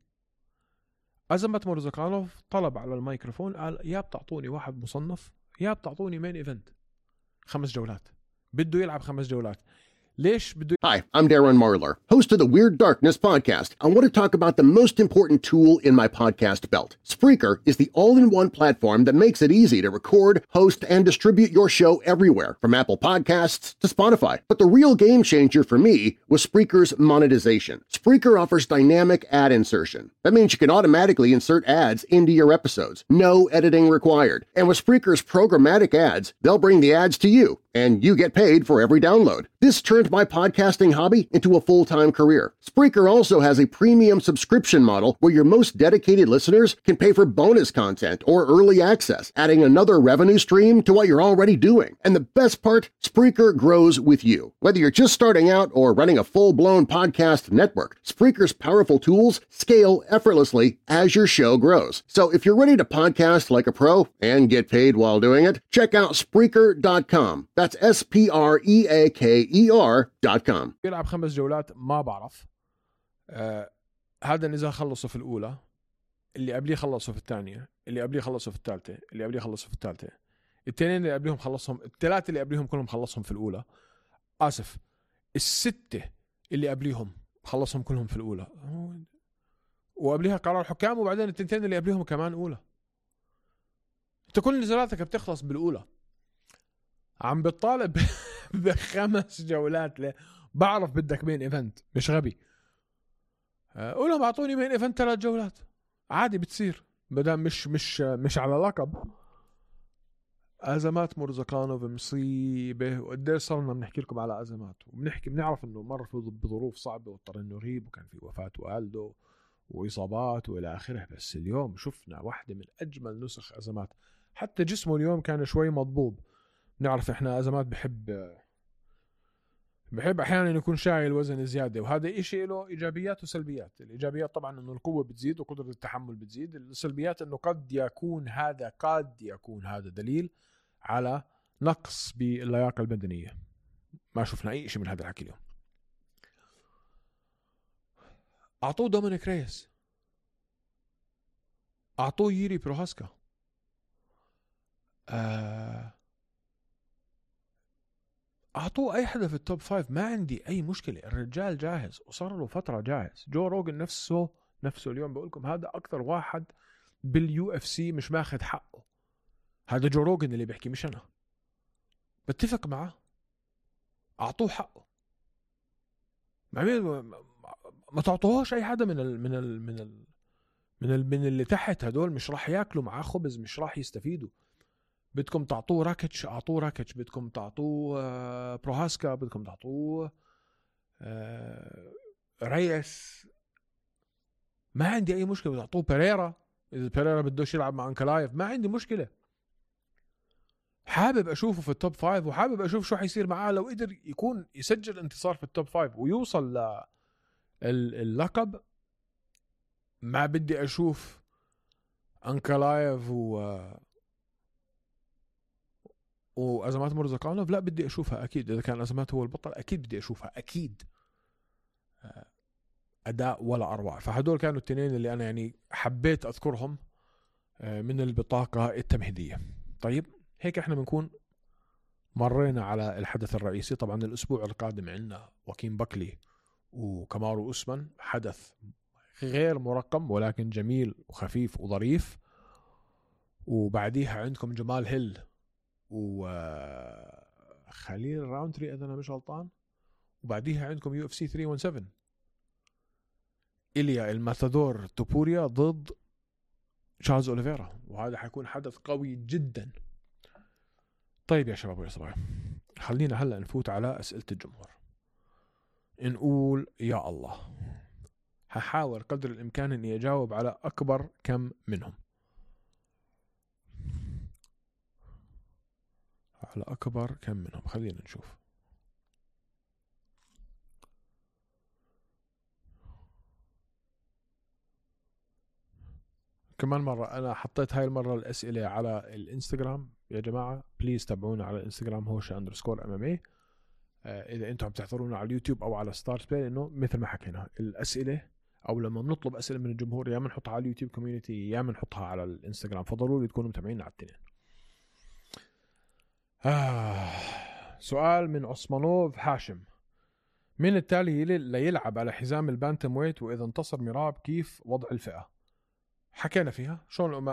Speaker 3: أزمة مورزاقانوف طلب على الميكروفون قال يا بتعطوني واحد مصنف يا بتعطوني مين إيفنت 5 جولات. بده يلعب 5 جولات. ليش بده؟
Speaker 4: Hi, I'm Darren Marlar, host of the Weird Darkness podcast. I want to talk about the most important tool in my podcast belt. Spreaker is the all-in-one platform that makes it easy to record, host, and distribute your show everywhere, from Apple Podcasts to Spotify. But the real game changer for me was Spreaker's monetization. Spreaker offers dynamic ad insertion. That means you can automatically insert ads into your episodes. No editing required. And with Spreaker's programmatic ads, they'll bring the ads to you, and you get paid for every download. This turned my podcasting hobby into a full-time career. Spreaker also has a premium subscription model where your most dedicated listeners can pay for bonus content or early access, adding another revenue stream to what you're already doing. And the best part, Spreaker grows with you. Whether you're just starting out or running a full-blown podcast network, Spreaker's powerful tools scale effortlessly as your show grows. So if you're ready to podcast like a pro and get paid while doing it, check out Spreaker.com. That's SPREAKER.com.
Speaker 3: يلعب 5 جولات ما بعرف. هذا النزال خلصوا في الأولى، اللي قبليه خلصوا في الثانية، اللي قبليه خلصوا في الثالثة، اللي قبليه خلصوا في الثالثة، التنين اللي قبليهم خلصهم، الثلاثة اللي قبليهم كلهم خلصهم في الأولى. آسف، 6 اللي قبليهم خلصهم كلهم في الأولى، وقبليها قرار حكام، وبعدين التنتين اللي قبليهم كمان أولى. انت كل نزالاتك بتخلص بالأولى. عم بتطالب ب5 جولات. ليه؟ بعرف بدك مين ايفنت، مش غبي. قولهم اعطوني مين ايفنت 3 جولات عادي بتصير، بدل مش على لقب. ازمات مورزاقانوف مصيبه، وقديش صرنا بنحكي لكم على ازمات، بنعرف انه مر بظروف صعبه واضطر انه يغيب، وكان في وفاه والده واصابات والى اخره. بس اليوم شفنا واحده من اجمل نسخ ازمات. حتى جسمه اليوم كان شوي مضبوب. نعرف احنا ازمات بحب احيانا يكون شايل وزن زياده، وهذا إشي له ايجابيات وسلبيات. الايجابيات طبعا انه القوه بتزيد وقدره التحمل بتزيد. السلبيات انه قد يكون هذا دليل على نقص باللياقه البدنيه. ما شفنا اي شيء من هذا الحكي اليوم. اعطوه دومينيك ريس، اعطوه ييري بروهاسكا، أعطوه أي حدا في التوب 5. ما عندي أي مشكلة، الرجال جاهز وصار له فترة جاهز. جو روغن نفسه اليوم بقولكم هذا أكثر واحد باليو اف سي مش ماخد حقه. هذا جو روغن اللي بيحكي مش أنا، بتفق معه. أعطوه حقه. ما تعطوهوش اي حدا من اللي تحت. هدول مش راح ياكلوا معاه خبز، مش راح يستفيدوا. بدكم تعطوه راكيتش، اعطوه راكيتش. بدكم تعطوه بروهاسكا، بدكم تعطوه ريس، ما عندي اي مشكله. تعطوه بيريرا، اذا بيريرا بدوش يلعب مع انكلايف ما عندي مشكله. حابب اشوفه في التوب 5، وحابب اشوف شو حيصير معاه لو قدر يكون يسجل انتصار في التوب 5 ويوصل اللقب. ما بدي اشوف انكلايف وازمات مرزقانوف، لا بدي اشوفها اكيد. اذا كان ازمات هو البطل اكيد بدي اشوفها اكيد. اداء ولا اروع. فهدول كانوا التنين اللي انا يعني حبيت اذكرهم من البطاقة التمهيدية. طيب هيك احنا بنكون مرينا على الحدث الرئيسي. طبعا الاسبوع القادم عندنا واكين باكلي وكامارو أوسمان، حدث غير مرقم ولكن جميل وخفيف وظريف. وبعديها عندكم جمال هيل وخليل راونتري اذا انا مش غلطان. وبعديها عندكم UFC 317 إليا الماتادور توبوريا ضد تشارلز أوليفيرا، وهذا حيكون حدث قوي جدا. طيب يا شباب ويا صبايا، خلينا هلأ نفوت على أسئلة الجمهور. نقول يا الله، هحاول قدر الإمكان أني أجاوب على أكبر كم منهم، على أكبر كم منهم. خلينا نشوف. كمان مرة أنا حطيت هاي المرة الأسئلة على الإنستغرام يا جماعة، بليز تابعونا على الإنستغرام هوشة_MMA. إذا أنتم عم تحضرونا على اليوتيوب أو على ستارز بلاي، إنه مثل ما حكينا الأسئلة أو لما بنطلب أسئلة من الجمهور يا من نحطها على اليوتيوب كوميونيتي يا من نحطها على الإنستغرام، فضروري تكونوا متابعين على التنين. سؤال من عثمانوف هاشم: من التالي لا يلعب على حزام البانتم ويت، وإذا انتصر ميراب كيف وضع الفئة؟ حكينا فيها. شون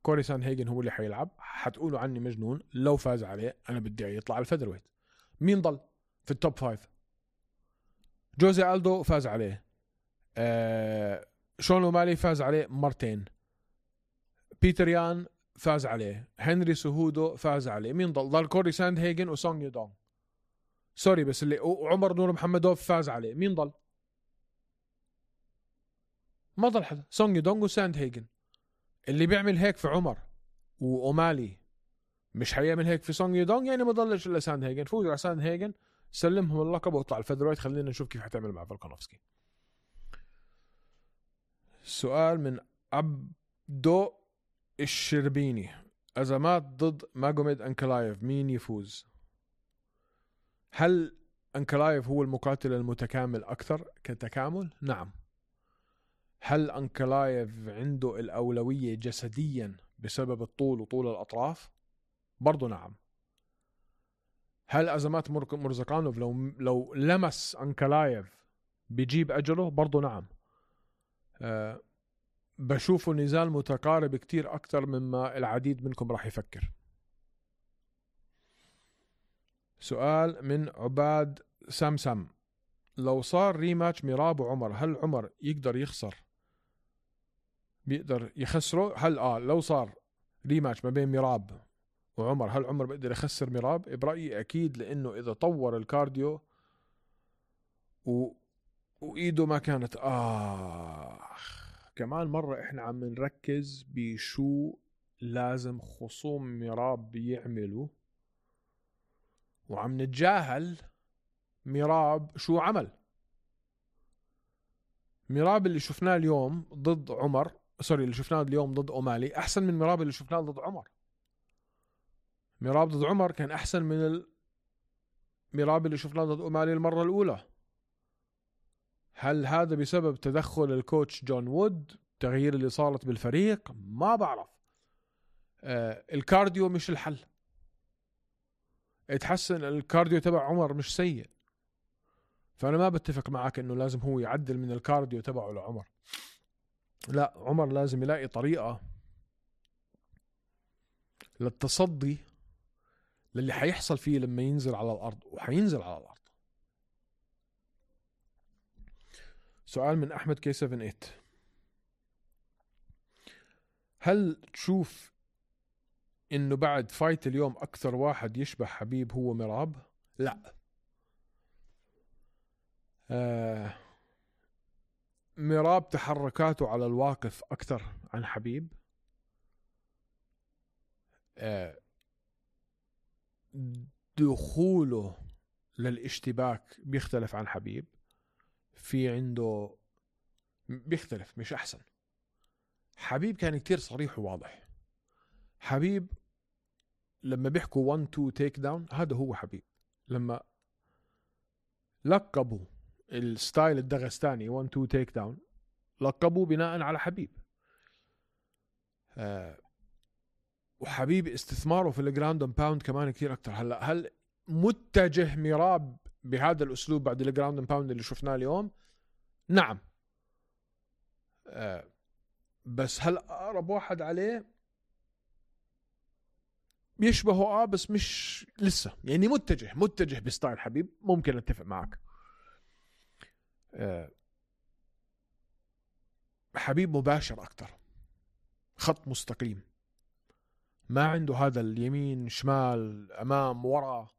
Speaker 3: كوري سان هيجن هو اللي حيلعب. حتقولوا عني مجنون لو فاز عليه، أنا بدي يطلع على الفيذر ويت. مين ضل في التوب 5؟ جوزي ألدو فاز عليه، شون أومالي فاز عليه مرتين، بيتر يان فاز عليه، هنري سهودو فاز عليه. مين ضل كوري ساند هيجن وسونغ يودونغ. سوري بس اللي عمر نور محمدوف فاز عليه. مين ضل؟ ما ضل حدا. سونغ يودونغ وساند هيجن. اللي بيعمل هيك في عمر وأومالي مش حيعمل هيك في سونغ يودونغ، يعني ما ضلش إلا ساند هيجن. فوز على ساند هيجن، سلمهم اللقب واطلع الفيذرويت. خلينا نشوف كيف حتعمل مع فولكانوفسكي. سؤال من عبدو الشربيني: أزمات ضد ماجوميد أنكلايف، مين يفوز؟ هل أنكلايف هو المقاتل المتكامل أكثر كتكامل؟ نعم. هل أنكلايف عنده الأولوية جسديا بسبب الطول وطول الأطراف؟ برضو نعم. هل أزمات مرزقانوف لو لمس أنكلايف بيجيب أجله؟ برضو نعم. بشوفه نزال متقارب كتير أكتر مما العديد منكم راح يفكر. سؤال من عباد سامسام: لو صار ريماتش ميراب وعمر، هل عمر يقدر بيقدر يخسره؟ هل لو صار ريماتش ما بين ميراب وعمر، هل عمر بيقدر يخسر ميراب؟ برأيي أكيد، لأنه إذا طور الكارديو وإيده ما كانت كمان مرة إحنا عم نركز بشو لازم خصوم ميراب بيعملوا، وعم نتجاهل ميراب شو عمل. ميراب اللي شفناه اليوم ضد عمر، اللي شفناه اليوم ضد أومالي أحسن من ميراب اللي شفناه ضد عمر. ميراب ضد عمر كان أحسن من ميراب اللي شفناه ضد أومالي المرة الأولى. هل هذا بسبب تدخل الكوتش جون وود، تغيير اللي صارت بالفريق؟ ما بعرف. الكارديو مش الحل. اتحسن الكارديو تبع عمر مش سيء، فأنا ما بتفق معك إنه لازم هو يعدل من الكارديو تبعه لعمر. لا، عمر لازم يلاقي طريقة للتصدي للي حيحصل فيه لما ينزل على الأرض، وحينزل على الأرض. سؤال من أحمد K78. هل تشوف إنه بعد فايت اليوم أكثر واحد يشبه حبيب هو ميراب؟ لا. ميراب تحركاته على الواقف أكثر عن حبيب. دخوله للاشتباك بيختلف عن حبيب. في عنده بيختلف، مش أحسن. حبيب كان كتير صريح وواضح. حبيب لما بيحكوا 1-2 تيك داون هذا هو حبيب. لما لقبوا الستايل الدغستاني 1-2 تيك داون لقبوه بناء على حبيب. وحبيب استثماره في الجراوند اند باوند كمان كتير أكتر. هل متجه ميراب بهذا الأسلوب بعد الجراوند اند باوند اللي شفناه اليوم؟ نعم. بس هل أقرب واحد عليه؟ بيشبهه بس مش لسه يعني متجه بستايل حبيب. ممكن اتفق معك. حبيب مباشر أكتر، خط مستقيم، ما عنده هذا اليمين شمال أمام ورا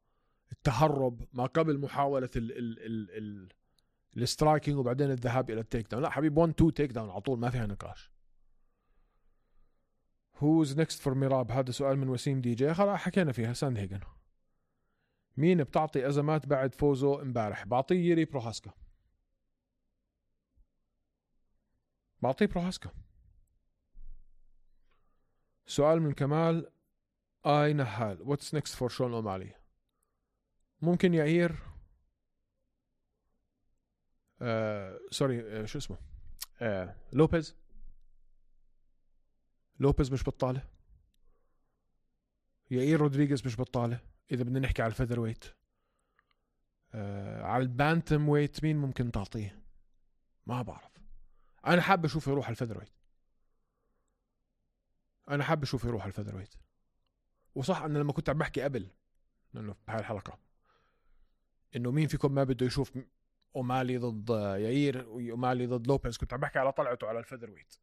Speaker 3: التهرب ما قبل محاولة السترايكينج وبعدين الذهاب إلى التيك داون. لا، حبيب 1-2 تيك داون على طول، ما فيها نقاش. Who's next for ميراب؟ هذا سؤال من وسيم دي جي. خلاص حكينا فيها. ساندهيجن. مين بتعطي أزمات بعد فوزه امبارح؟ بعطيه ييري بروهاسكا. بعطيه بروهاسكا. سؤال من كمال آي نهال. What's next for شون أومالي؟ ممكن يعير شو اسمه لوبيز مش بطالة. يعير رودريغيز مش بطالة. إذا بدنا نحكي على الفيذر ويت. على البانتم ويت مين ممكن تعطيه؟ ما بعرف. أنا حابب أشوف يروح على الفيذر ويت. وصح أنا لما كنت عم بحكي قبل إنه بهاي الحلقة إنه مين فيكم ما بده يشوف أومالي ضد يعير وأومالي ضد لوبيز، كنت عم بحكي على طلعته على الفيذر ويت.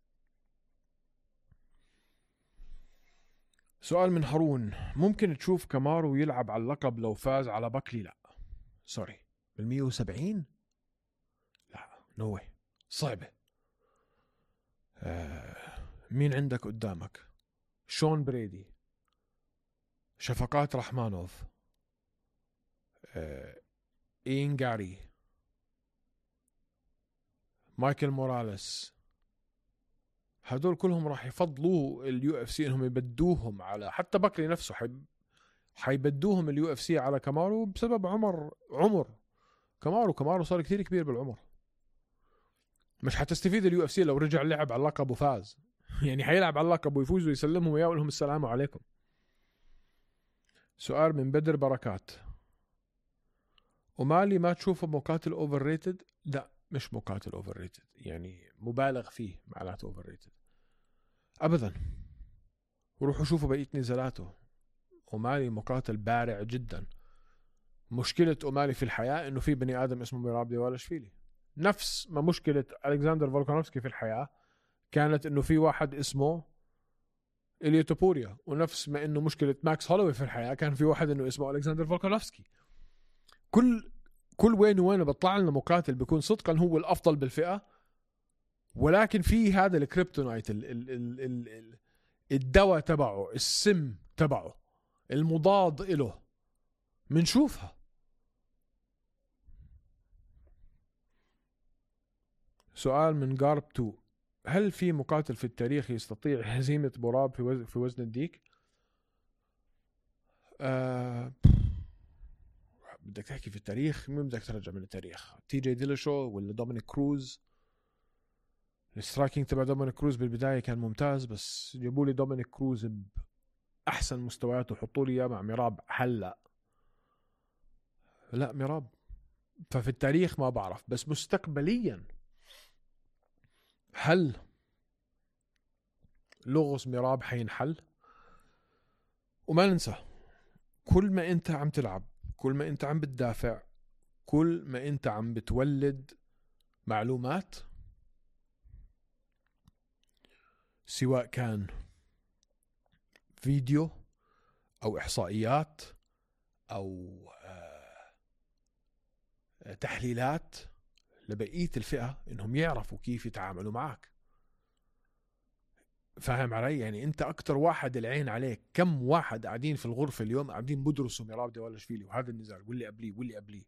Speaker 3: سؤال من هارون. ممكن تشوف كامارو يلعب على اللقب لو فاز على باكلي؟ لا سوري. بال170 لا، نو واي، صعبة. مين عندك قدامك؟ شون بريدي، شفقات رحمانوف، إين غاري، مايكل موراليس. هدول كلهم راح يفضلوا اليو اف سي انهم يبدوهم على، حتى باكلي نفسه حيبدوهم اليو اف سي على كامارو بسبب عمر كامارو صار كتير كبير بالعمر. مش حتستفيد اليو اف سي لو رجع لعب على اللقب وفاز. يعني حيلعب على اللقب ويفوز ويسلمهم وياه ويقول لهم السلام عليكم. سؤال من بدر بركات. ومالي ما تشوفه مقاتل اوفر ريتد؟ لا مش مقاتل اوفر ريتد، يعني مبالغ فيه معناته اوفر ريتد ابدا. وروحوا شوفوا بقية نزالاته. أومالي مقاتل بارع جدا. مشكلة أومالي في الحياة إنه في بني آدم اسمه ميراب ديوالاشفيلي. نفس ما مشكلة ألكسندر فولكانوفسكي في الحياة كانت إنه في واحد اسمه إليا توبوريا، ونفس ما إنه مشكلة ماكس هولوي في الحياة كان في واحد إنه اسمه ألكسندر فولكانوفسكي. كل وين بطلع لنا مقاتل بيكون صدقا هو الأفضل بالفئة، ولكن في هذا الكريبتونايت الدواء تبعه، السم تبعه المضاد إله منشوفها. سؤال من جارب 2. هل في مقاتل في التاريخ يستطيع هزيمة براب في وزن الديك؟ بدك تحكي في التاريخ، مين بدك ترجع من التاريخ؟ تي جي ديلاشو ولا دومينيك كروز؟ السترايكينج تبع دومينيك كروز بالبداية كان ممتاز، بس جابوا لي دومينيك كروز بأحسن مستوياته وحطوا لي إياه مع ميراب هلا. لا ميراب. ففي التاريخ ما بعرف، بس مستقبليا هل لغز ميراب حينحل؟ وما ننسى كل ما انت عم تلعب، كل ما انت عم بتدافع، كل ما انت عم بتولد معلومات سواء كان فيديو أو إحصائيات أو تحليلات لبقية الفئة إنهم يعرفوا كيف يتعاملوا معك. فاهم علي؟ يعني أنت أكتر واحد العين عليك. كم واحد قاعدين في الغرفة اليوم قاعدين بدرسوا ميراب ديفالاشفيلي وهذا النزال واللي قبليه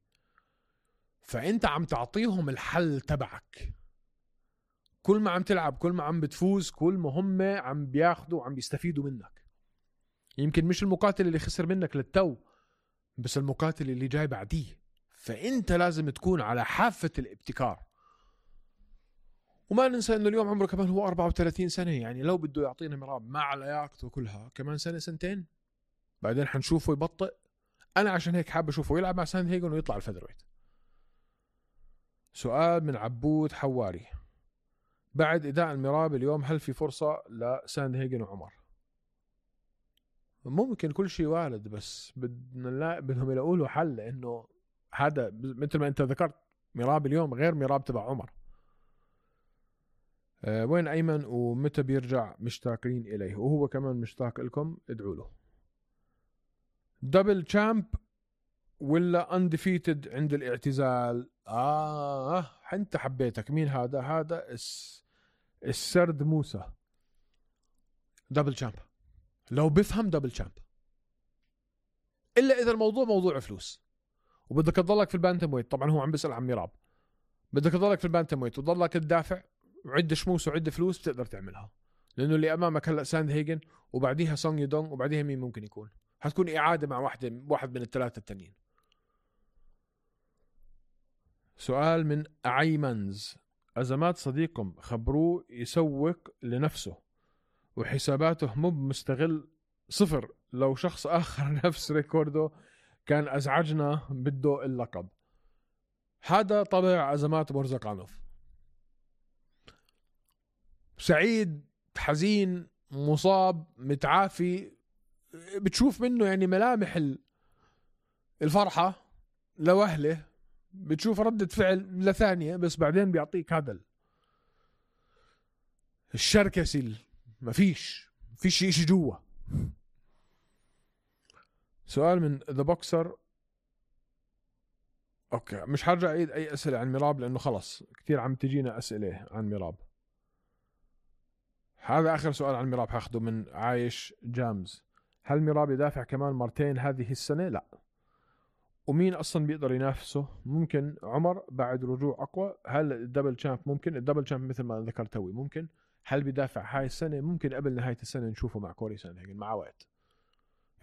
Speaker 3: فأنت عم تعطيهم الحل تبعك. كل ما عم تلعب، كل ما عم بتفوز، كل ما هم عم بياخدوا وعم بيستفيدوا منك. يمكن مش المقاتل اللي خسر منك للتو، بس المقاتل اللي جاي بعديه. فأنت لازم تكون على حافة الابتكار. وما ننسى انه اليوم عمره كمان هو 34 سنة. يعني لو بده يعطينا ميراب مع لياقته كلها كمان سنة سنتين بعدين حنشوفه يبطئ. انا عشان هيك حابب اشوفه يلعب مع ساند هيجن ويطلع الفيذرويت. سؤال من عبود حواري: بعد إداء الميراب اليوم هل في فرصة لساند هيجن وعمر؟ ممكن، كل شيء وارد، بس بدهم يلاقوا له حل. لانه هذا مثل ما انت ذكرت ميراب اليوم غير ميراب تبع عمر. وين أيمن ومتى بيرجع؟ مشتاقين إليه وهو كمان مشتاق لكم، ادعوا له. دبل تشامب ولا انديفيتد عند الاعتزال؟ انت حبيتك. مين هذا؟ هذا السرد موسى. دبل تشامب لو بفهم دبل تشامب، إلا إذا الموضوع موضوع فلوس وبدك تضلك في البانتم ويت. طبعا هو عم بيسأل عن ميراب. بدك تضلك في البانتم ويت وتضلك تدافع وعد شموس وعد فلوس، بتقدر تعملها. لأنه اللي أمامك هلأ ساند هيجن وبعديها سونغ يدونغ وبعديها مين ممكن يكون؟ هتكون إعادة مع واحد من الثلاثة التانيين. سؤال من أعيمنز: أزمات صديقكم خبروه يسوق لنفسه وحساباته مو مستغل صفر. لو شخص آخر نفس ريكوردو كان أزعجنا بده اللقب. هذا طبع أزمات مرزقانوف. سعيد، حزين، مصاب، متعافي، بتشوف منه يعني ملامح الفرحة لوهله، بتشوف ردة فعل لثانية، بس بعدين بيعطيك هذا الشركسي. ما فيش إشي جوا. سؤال من ذا بوكسر: اوكي مش حرجع اعيد اي اسئلة عن ميراب لانه خلص كتير عم تجينا اسئلة عن ميراب. هذا اخر سؤال عن ميراب هاخده من عايش جامز: هل ميراب يدافع كمان مرتين هذه السنة؟ لا. ومين اصلا بيقدر ينافسه؟ ممكن عمر بعد رجوع اقوى. هل الدبل تشامب ممكن؟ الدبل تشامب مثل ما ذكرت توي ممكن. هل بيدافع هاي السنة؟ ممكن قبل نهاية السنة نشوفه مع كوري ساندهيجن مع وقت.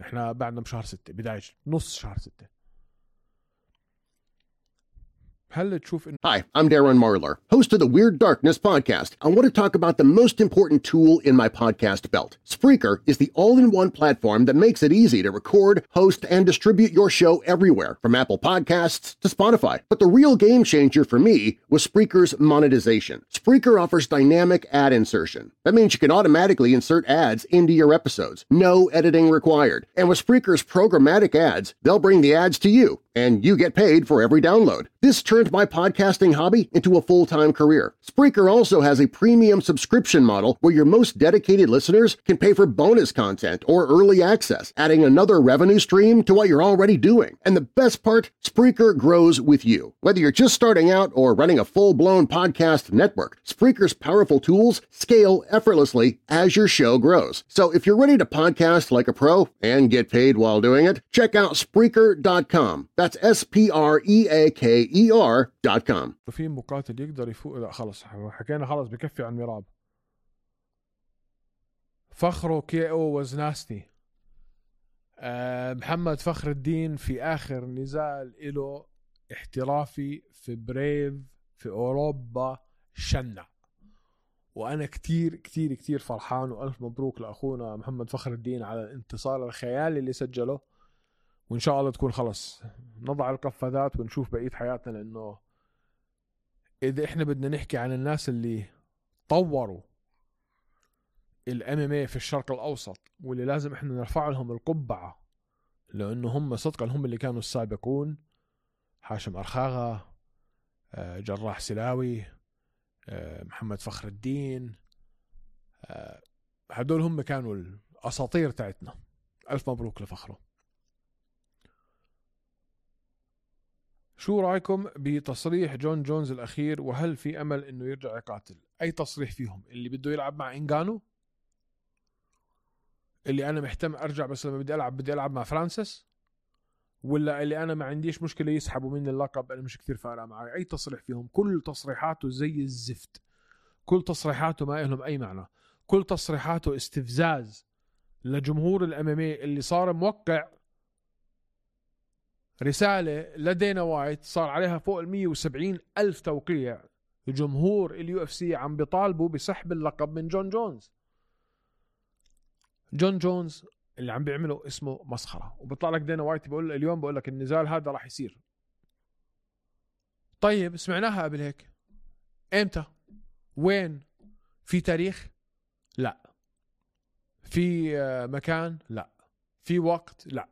Speaker 3: احنا بعدنا بشهر 6، بداية نص شهر 6. هل تشوف
Speaker 4: Hi, I'm Darren Marlar, host of the Weird Darkness podcast. I want to talk about the most important tool in my podcast belt. Spreaker is the all-in-one platform that makes it easy to record, host, and distribute your show everywhere, from Apple Podcasts to Spotify. But the real game changer for me was Spreaker's monetization. Spreaker offers dynamic ad insertion. That means you can automatically insert ads into your episodes. No editing required. And with Spreaker's programmatic ads, they'll bring the ads to you, and you get paid for every download. This turned my podcasting hobby into a full-time career. Spreaker also has a premium subscription model where your most dedicated listeners can pay for bonus content or early access, adding another revenue stream to what you're already doing. And the best part, Spreaker grows with you. Whether you're just starting out or running a full-blown podcast network, Spreaker's powerful tools scale effortlessly as your show grows. So if you're ready to podcast like a pro and get paid while doing it, check out Spreaker.com. That's Spreaker.com.
Speaker 3: في مقاتل يقدر يفوق؟ لا خلص حكينا، خلص بكفي عن ميراب. فخره KO was nasty. محمد فخر الدين في آخر نزال له احترافي في بريف في أوروبا شنع، وأنا كتير كتير كتير فرحان، وألف مبروك لأخونا محمد فخر الدين على الانتصار الخيالي اللي سجله. وإن شاء الله تكون خلص نضع القفازات ونشوف بقية حياتنا. لأنه إذا إحنا بدنا نحكي عن الناس اللي طوروا الMMA في الشرق الأوسط واللي لازم إحنا نرفع لهم القبعة لأنه هم صدقا هم اللي كانوا السابقون: هاشم أرخاغا، جراح سلاوي، محمد فخر الدين، هدول هم كانوا الأساطير تاعتنا. ألف مبروك لفخره. شو رأيكم بتصريح جون جونز الأخير، وهل في أمل إنه يرجع يقاتل؟ أي تصريح فيهم؟ اللي بده يلعب مع إنغانو، اللي أنا محتم أرجع بس لما بدي ألعب مع فرانسيس، ولا اللي أنا ما عنديش مشكلة يسحبوا مني اللقب أنا مش كتير فارقة معي؟ أي تصريح فيهم؟ كل تصريحاته زي الزفت، كل تصريحاته ما لهم أي معنى، كل تصريحاته استفزاز لجمهور الأمامي اللي صار موقع رسالة لدينا وايت صار عليها فوق 170,000 توقيع. جمهور UFC عم بيطالبوا بسحب اللقب من جون جونز. جون جونز اللي عم بيعمله اسمه مسخرة، وبيطلع لك دينا وايت بيقول اليوم بقول لك النزال هذا راح يصير. طيب سمعناها قبل هيك، امتى؟ وين؟ في تاريخ؟ لا. في مكان؟ لا. في وقت؟ لا.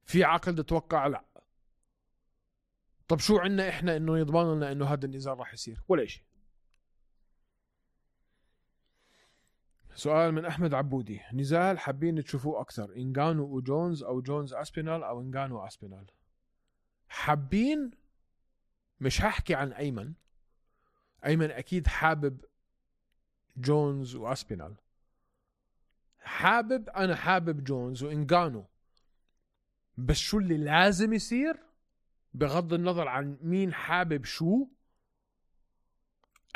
Speaker 3: في عقد توقع؟ لا. طب شو عنا احنا انه يضمن لنا انه هذا النزال راح يصير؟ ولا شيء. سؤال من احمد عبودي، نزال حابين تشوفوه اكثر، انغانو وجونز او جونز اسبينال او انغانو اسبينال؟ حابين، مش هحكي عن ايمن اكيد حابب جونز واسبينال. انا حابب جونز وانغانو، بس شو اللي لازم يصير بغض النظر عن مين حابب شو،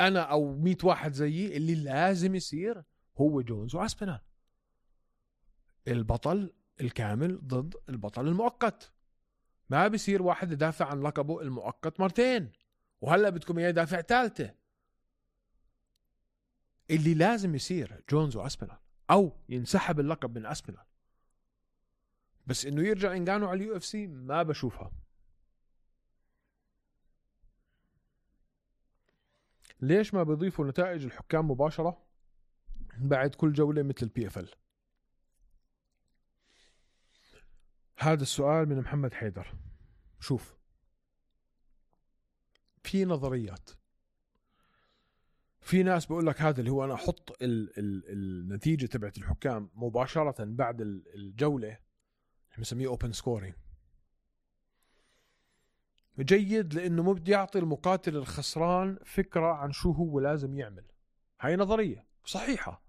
Speaker 3: انا او 100 واحد زيي، اللي لازم يصير هو جونز واسبينال، البطل الكامل ضد البطل المؤقت. ما بيصير واحد يدافع عن لقبه المؤقت مرتين وهلا بدكم اياه يدافع ثالثه. اللي لازم يصير جونز واسبينال، او ينسحب اللقب من اسبينال. بس انه يرجع انغانو على UFC ما بشوفها. ليش ما بيضيفوا نتائج الحكام مباشرة بعد كل جولة مثل PFL؟ هذا السؤال من محمد حيدر. شوف، في نظريات، في ناس بقول لك هذا اللي هو أنا أحط النتيجة تبعت الحكام مباشرة بعد الجولة، بنسميه open scoring. جيد لأنه مو بدي يعطي المقاتل الخسران فكرة عن شو هو لازم يعمل. هاي نظرية صحيحة.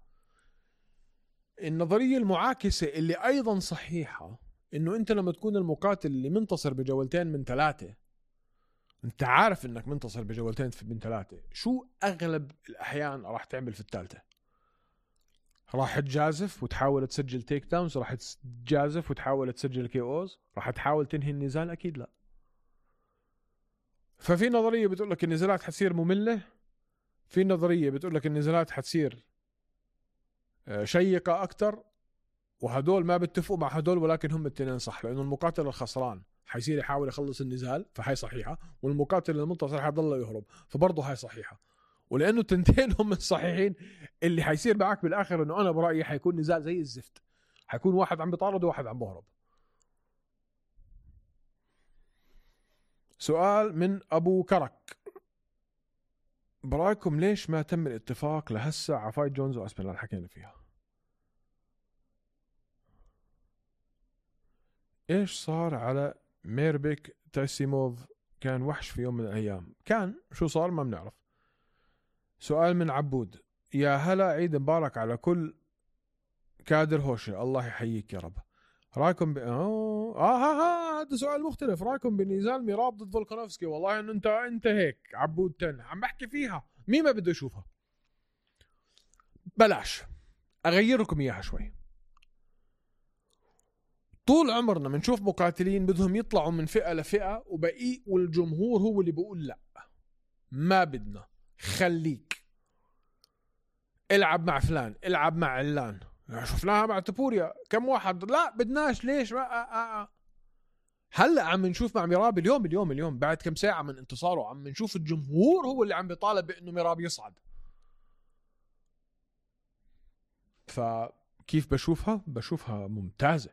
Speaker 3: النظرية المعاكسة اللي أيضا صحيحة إنه أنت لما تكون المقاتل اللي منتصر بجولتين من 3، أنت عارف إنك منتصر بجولتين من 3، شو أغلب الأحيان راح تعمل في الثالثة؟ راح تجازف وتحاول تسجل تيك داونز؟ راح تجازف وتحاول تسجل KOs؟ راح تحاول تنهي النزال؟ أكيد لا. ففي نظرية بتقول لك النزالات حتصير مملة، في نظرية بتقول لك النزالات حتصير شيقة أكتر، وهدول ما بيتفقوا مع هدول، ولكن هم التنين صح، لأنه المقاتل الخسران حيصير يحاول يخلص النزال فهاي صحيحة، والمقاتل المنتصر حيضل يهرب فبرضه هاي صحيحة. ولأنه التنتين هم الصحيحين، اللي حيصير معك بالآخر إنه أنا برأيي حيكون نزال زي الزفت، حيكون واحد عم بيطارد وواحد عم بهرب. سؤال من أبو كرك، برأيكم ليش ما تم الاتفاق لهسه على فايت جونز واسبينال؟ حكينا فيها. ايش صار على ميربك تايسيموف؟ كان وحش في يوم من الايام. كان شو صار ما بنعرف. سؤال من عبود، يا هلا، عيد مبارك على كل كادر هوشة، الله يحييك يا رب. رايكم هذا سؤال مختلف. رايكم بنزال ميراب ضد فولكانوفسكي؟ والله انه انت هيك عبود تن عم بحكي فيها، مين ما بده يشوفها. بلاش اغير لكم اياها شوي. طول عمرنا بنشوف مقاتلين بدهم يطلعوا من فئة لفئة وبقي، والجمهور هو اللي بيقول لا ما بدنا، خليك العب مع فلان، العب مع علان. شفناها مع تبوريا، كم واحد لا بدناش، ليش ما هلا عم نشوف مع ميراب اليوم بعد كم ساعة من انتصاره عم نشوف الجمهور هو اللي عم بيطالب بانه ميراب يصعد. فكيف بشوفها ممتازة.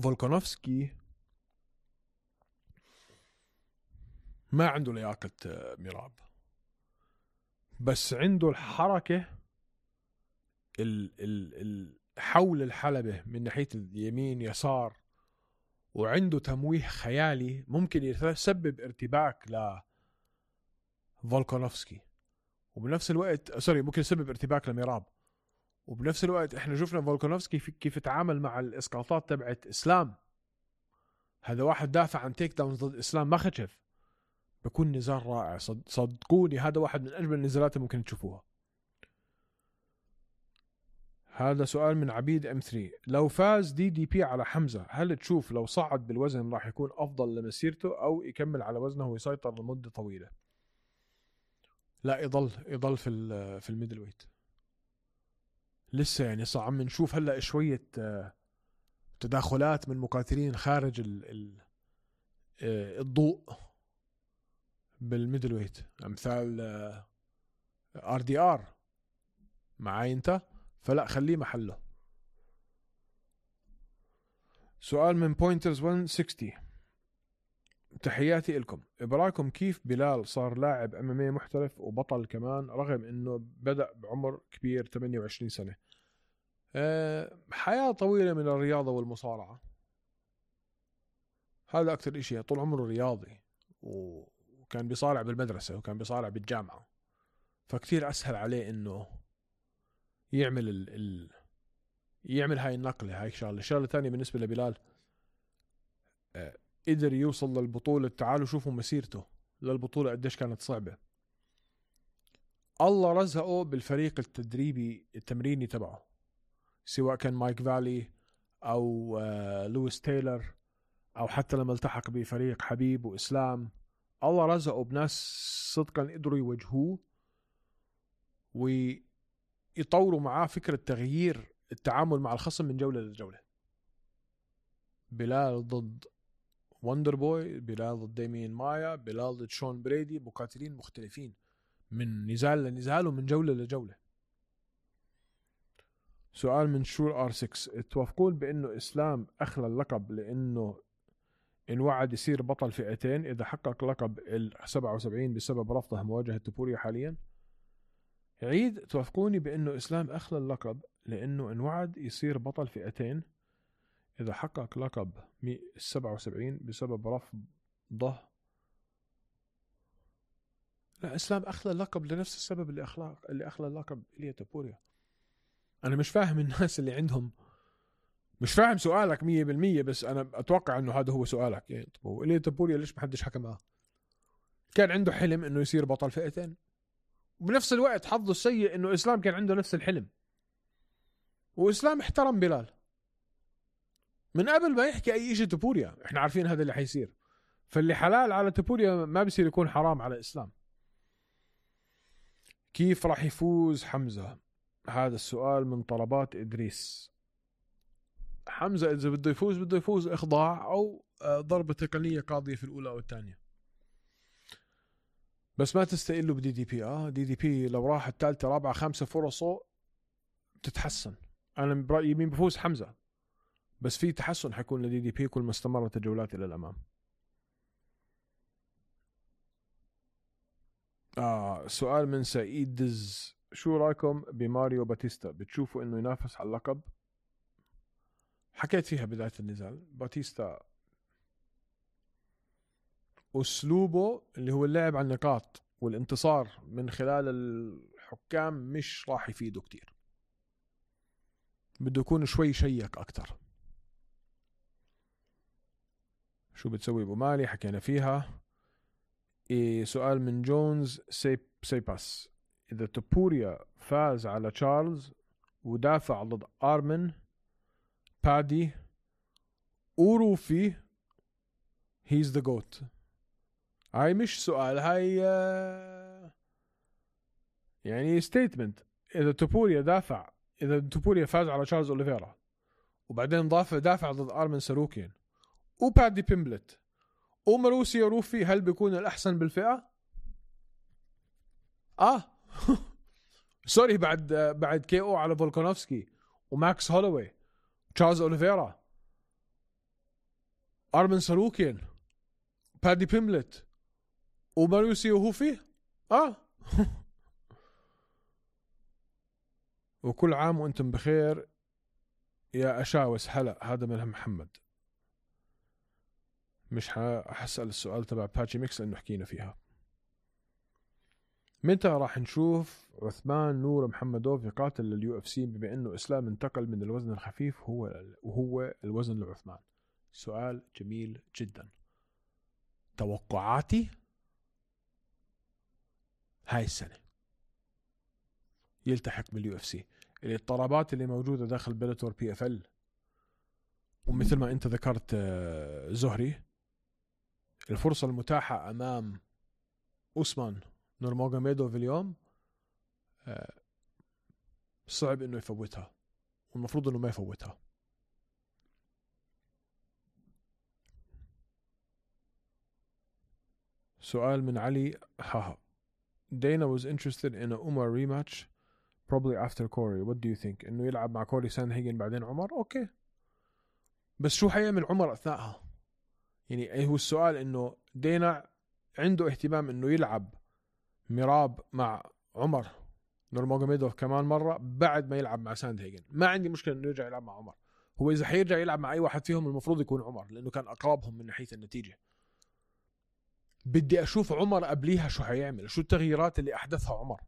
Speaker 3: فولكانوفسكي ما عنده لياقة ميراب، بس عنده الحركة حول الحلبة من ناحية اليمين يسار، وعنده تمويه خيالي ممكن يسبب ارتباك لفولكانوفسكي، وبنفس الوقت ممكن يسبب ارتباك لميراب. وبنفس الوقت احنا شفنا فولكانوفسكي كيف تعامل مع الاسقاطات تبعت اسلام. هذا واحد دافع عن تيك داون ضد اسلام ما خشف. بكون نزال رائع صدقوني، هذا واحد من اجمل النزالات اللي ممكن تشوفوها. هذا سؤال من عبيد M3. لو فاز DDP على حمزة، هل تشوف لو صعد بالوزن راح يكون افضل لمسيرته او يكمل على وزنه ويسيطر لمدة طويلة؟ لا، يضل في الميدل ويت لسه. يعني عم نشوف هلا شوية تداخلات من مقاتلين خارج الضوء بالميدل ويت، امثال RDR معاي انت، فلا خليه محله. سؤال من بوينترز 160. تحياتي لكم، برايكم كيف بلال صار لاعب MMA محترف وبطل كمان رغم انه بدأ بعمر كبير 28 سنة؟ حياة طويلة من الرياضة والمصارعة، هذا أكتر إشي. طول عمره رياضي وكان بيصارع بالمدرسة وكان بيصارع بالجامعة، فكتير أسهل عليه إنه يعمل هاي النقلة. هاي شغلة تانية بالنسبة لبلال، قدر يوصل للبطولة. تعالوا شوفوا مسيرته للبطولة قديش كانت صعبة. الله رزقه بالفريق التمريني تبعه، سواء كان مايك فالي أو لويس تايلر، أو حتى لما التحق بفريق حبيب وإسلام. الله رزقه بناس صدقا قدروا يوجهوه ويطوروا معاه فكرة تغيير التعامل مع الخصم من جولة لجولة. بلال ضد وندر بوي، بلال ضد ديمين مايا، بلال ضد شون بريدي، مقاتلين مختلفين من نزال لنزال ومن جولة لجولة. سؤال من شور R6. توافقون بأنه إسلام أخلى اللقب لأنه انوعد يصير بطل فئتين إذا حقق لقب 77 بسبب رفضه مواجهة توبوريا حاليا؟ عيد. توافقوني بأنه إسلام أخلى اللقب لأنه انوعد يصير بطل فئتين إذا حقق لقب 77 بسبب رفضه. لا، إسلام أخلى اللقب لنفس السبب اللي أخلى اللقب إليا توبوريا. أنا مش فاهم الناس اللي عندهم، مش فاهم سؤالك 100%، بس أنا أتوقع أنه هذا هو سؤالك. يعني طب إليا توبوريا ليش محدش حكى معه؟ كان عنده حلم أنه يصير بطل فئتين، وبنفس الوقت حظه السيء أنه إسلام كان عنده نفس الحلم، وإسلام احترم بلال من قبل ما يحكي أي شيء. توبوريا إحنا عارفين هذا اللي حيصير، فاللي حلال على توبوريا ما بيصير يكون حرام على إسلام. كيف راح يفوز حمزة؟ هذا السؤال من طلبات إدريس. حمزة إذا بده يفوز إخضاع أو ضربة تقنية قاضية في الأولى أو الثانية، بس ما تستقله بدي دي بي. دي بي لو راح الثالثة رابعة خامسة فرصه تتحسن. أنا برأيي مين بفوز؟ حمزة، بس في تحسن حيكون لدي دي بي كل ما استمرت الجولات إلى الأمام. سؤال من سعيد دز. شو رأيكم بماريو باتيستا؟ بتشوفوا إنه ينافس على اللقب؟ حكيت فيها بداية النزال. باتيستا أسلوبه اللي هو اللعب على النقاط والانتصار من خلال الحكام مش راح يفيده كتير، بده يكون شوي شيك أكتر. شو بتسوي أبو مالي؟ حكينا فيها. سؤال من جونز سيباس. إذا توبوريا فاز على تشارلز ودافع ضد آرمن بادي وروفي he's the goat. هاي مش سؤال، هاي يعني statement. إذا توبوريا فاز على تشارلز أوليفيرا وبعدين دافع ضد آرمن ساروكين وبادي بيمبلت وماروسيو روفي، هل بيكون الأحسن بالفئة؟ سوري، بعد كي او على فولكانوفسكي وماكس هولوي تشارلز أوليفيرا آرمن ساروكين بادي بيمبلت وماريوسي وهو فيه وكل عام وانتم بخير يا أشاوس. هلا هذا من محمد. مش حسأل السؤال تبع باتشي ميكس لأنه حكينا فيها. متى راح نشوف عثمان نور محمدوف يقاتل لليو اف سي بما انه اسلام انتقل من الوزن الخفيف وهو الوزن لعثمان؟ سؤال جميل جدا. توقعاتي هاي السنة يلتحق باليو اف سي. الاضطرابات اللي موجودة داخل بيلاتور بي اف ال، ومثل ما انت ذكرت زهري، الفرصة المتاحة امام أوسمان نورماغوميدوف اليوم صعب انه يفوتها، والمفروض انه ما يفوتها. سؤال من علي Dana was interested in a Umar rematch probably after Corey. What do you think? انه يلعب مع كوري ساندهيجن بعدين عمر. اوكي، بس شو حيعمل عمر اثناءها؟ يعني هو السؤال انه دينا عنده اهتمام انه يلعب ميراب مع عمر نورماغوميدوف كمان مرة بعد ما يلعب مع ساندهيجن. ما عندي مشكلة انه يرجع يلعب مع عمر. هو اذا حيرجع يلعب مع اي واحد فيهم المفروض يكون عمر، لانه كان اقربهم من ناحية النتيجة. بدي اشوف عمر قبليها شو حيعمل، شو التغييرات اللي احدثها عمر.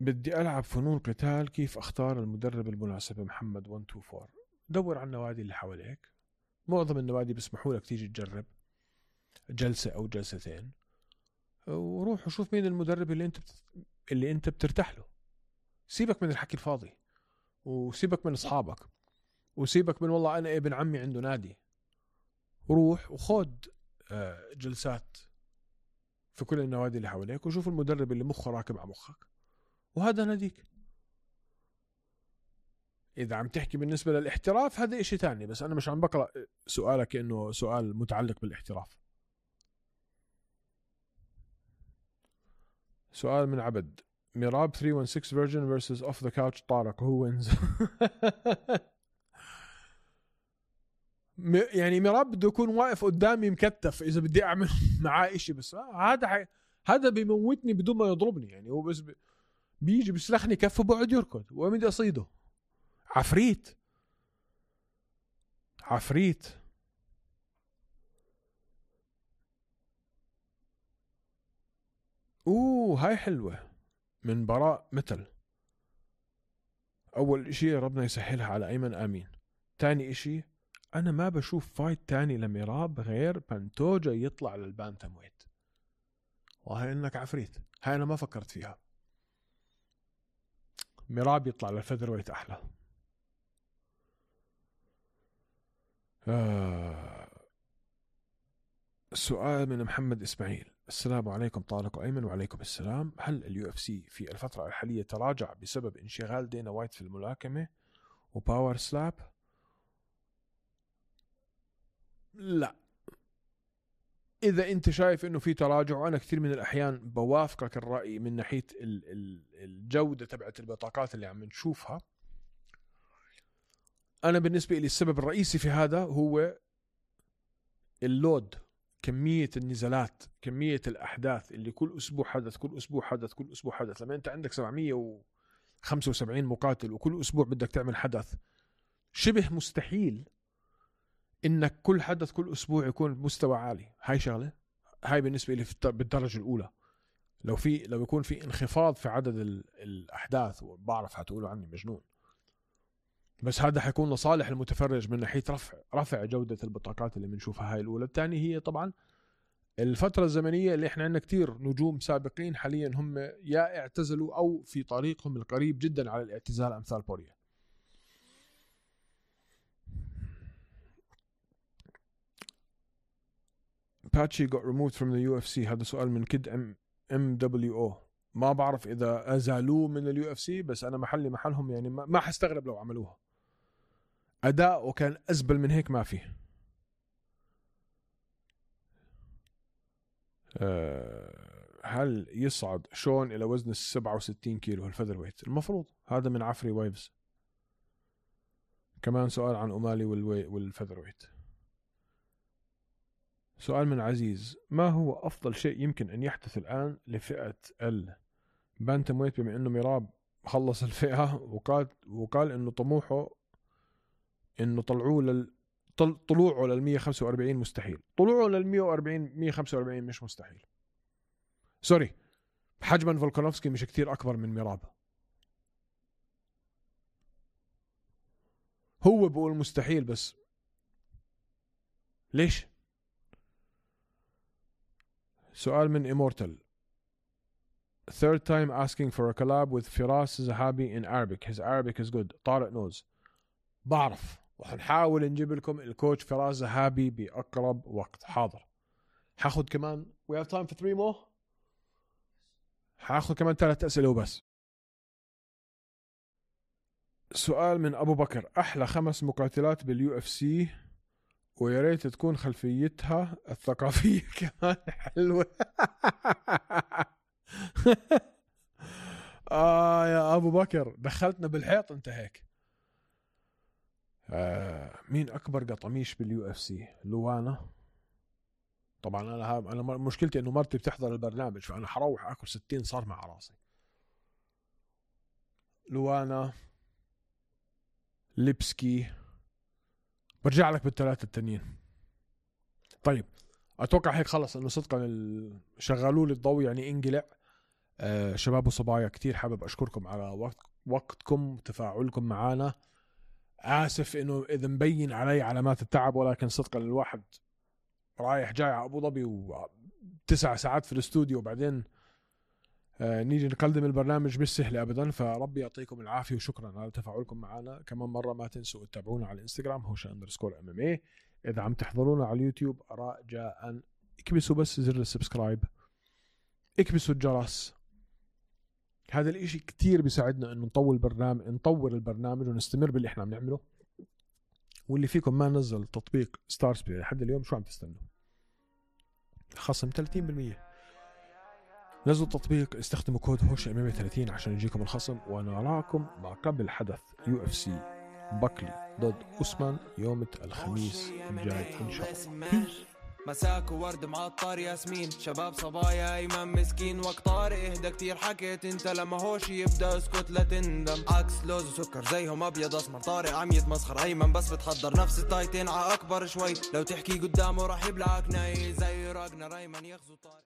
Speaker 3: بدي العب فنون قتال، كيف اختار المدرب المناسب؟ محمد 124. دور على النوادي اللي حواليك، معظم النوادي بيسمحوا لك تيجي تجرب جلسة او جلستين، وروح وشوف مين المدرب اللي انت بترتاح له. سيبك من الحكي الفاضي، وسيبك من اصحابك، وسيبك من والله انا ابن عمي عنده نادي. روح وخد جلسات في كل النوادي اللي حواليك، وشوف المدرب اللي مخه راكب على مخك، وهذا ناديك. إذا عم تحكي بالنسبة للاحتراف هذا إشي تاني، بس أنا مش عم بقرأ سؤالك إنه سؤال متعلق بالاحتراف. سؤال من عبد ميراب 316 version versus off the couch طارق who wins؟ يعني ميراب بده يكون واقف قدامي مكتف إذا بدي أعمل معاه إشي، بس هذا بيموتني بدون ما يضربني. يعني هو بس بيجي بيسلخني كف وبقعد يركض وين بدي أصيده. عفريت. هاي حلوة من براء مثل. أول إشي ربنا يسهلها على أيمن آمين. تاني إشي أنا ما بشوف فايت تاني لميراب غير بانتوجا يطلع للبانتم ويت، وهي إنك عفريت. هاي أنا ما فكرت فيها. ميراب يطلع للفيذر ويت أحلى. سؤال من محمد إسماعيل. السلام عليكم طارق وأيمن. وعليكم السلام. هل اليو اف سي في الفترة الحالية تراجع بسبب انشغال دينا وايت في الملاكمة وباور سلاب؟ لا. إذا أنت شايف إنه في تراجع، وأنا كثير من الأحيان بوافقك الرأي من ناحية الجودة تبعت البطاقات اللي عم نشوفها، أنا بالنسبة لي السبب الرئيسي في هذا هو اللود، كمية النزالات، كمية الأحداث اللي كل أسبوع حدث كل أسبوع حدث كل أسبوع حدث. لما أنت عندك 775 مقاتل وكل أسبوع بدك تعمل حدث، شبه مستحيل إنك كل حدث كل أسبوع يكون بمستوى عالي. هاي شغلة، هاي بالنسبة لي بالدرجة الأولى. لو يكون في انخفاض في عدد الأحداث، وبعرف هتقولوا عني مجنون، بس هذا حيكون لصالح المتفرج من ناحية رفع جودة البطاقات اللي بنشوفها. هاي الأولى. الثانية هي طبعا الفترة الزمنية اللي احنا عندنا كتير نجوم سابقين حاليا هم يا اعتزلوا أو في طريقهم القريب جدا على الاعتزال، أمثال بوريا. باتشي got removed from the UFC. هذا سؤال من كد MWO. ما بعرف إذا أزالوه من اليو اف سي، بس أنا محلهم يعني ما حستغرب لو عملوها. أداء وكان أزبل من هيك ما فيه. هل يصعد شون إلى وزن 67 كيلو الفذر ويت؟ المفروض. هذا من عفري وايفز. كمان سؤال عن أمالي والفذر ويت. سؤال من عزيز: ما هو أفضل شيء يمكن أن يحدث الآن لفئة البانتم ويت، بما أنه ميراب خلص الفئة وقال أنه طموحه أنه طلوعه لل 145 مستحيل. طلوعه لل 145 مش مستحيل، سوري، حجما فولكانوفسكي مش كتير أكبر من ميراب. هو بقول مستحيل، بس ليش؟ سؤال من Immortal: third time asking for a collab with Firas Zahabi in Arabic. His Arabic is good. طارق نوز. بعرف، وحنحاول نجيب لكم الكوتش فراس زهابي بأقرب وقت. حاضر. حاخد كمان we have time for 3 more. حاخد كمان 3 أسئلة وبس. سؤال من أبو بكر: أحلى 5 مقاتلات بالUFC، ويا ريت تكون خلفيتها الثقافية كمان حلوة. يا أبو بكر دخلتنا بالحيط أنت هيك. مين أكبر قطميش بالUFC؟ لوانا طبعا. أنا مشكلتي إنه مرتي بتحضر البرنامج، فأنا حروح أكل 60 صار مع راسي. لوانا، ليبسكي، برجع لك بالثلاثة التانيين. طيب أتوقع هيك خلص، إنه صدقا شغلوا لي الضوء يعني انقلع. شباب وصبايا كتير حابب أشكركم على وقتكم وتفاعلكم معنا. آسف إنه إذا مبين علي علامات التعب، ولكن صدقا الواحد رايح جاي على أبو ظبي و9 ساعات في الاستوديو، وبعدين نيجي نقدم البرنامج مش سهل أبدا. فربي يعطيكم العافية، وشكرا على تفاعلكم معنا. كمان مرة ما تنسوا تتابعونا على الانستغرام هوشة_MMA. إذا عم تحضرونا على اليوتيوب رجاء اكبسوا بس زر السبسكرايب، اكبسوا الجرس. هذا الاشي كتير بيساعدنا انه نطور البرنامج ونستمر باللي احنا عم نعمله. واللي فيكم ما نزل تطبيق ستارز بلاي لحد اليوم، شو عم تستنوا؟ خصم 30%. نزلوا التطبيق، استخدموا كود HOSHAMMA30 عشان يجيكم الخصم. ونراكم ما قبل حدث UFC بكلي ضد أسمان يوم الخميس الجاي إن شاء الله.
Speaker 5: مساك وورد معطر ياسمين، شباب صبايا ايمن مسكين. وقت طارق اهدى كتير حكيت انت، لما هوش يبدا اسكت لا تندم. عكس لوز وسكر زيهم ابيض اسمر، طارق عم يتمسخر ايمن بس بتحضر نفس التايتين ع اكبر شوي. لو تحكي قدامه راح يبلعك ناي زي راجنا ايمن يغزو طارق.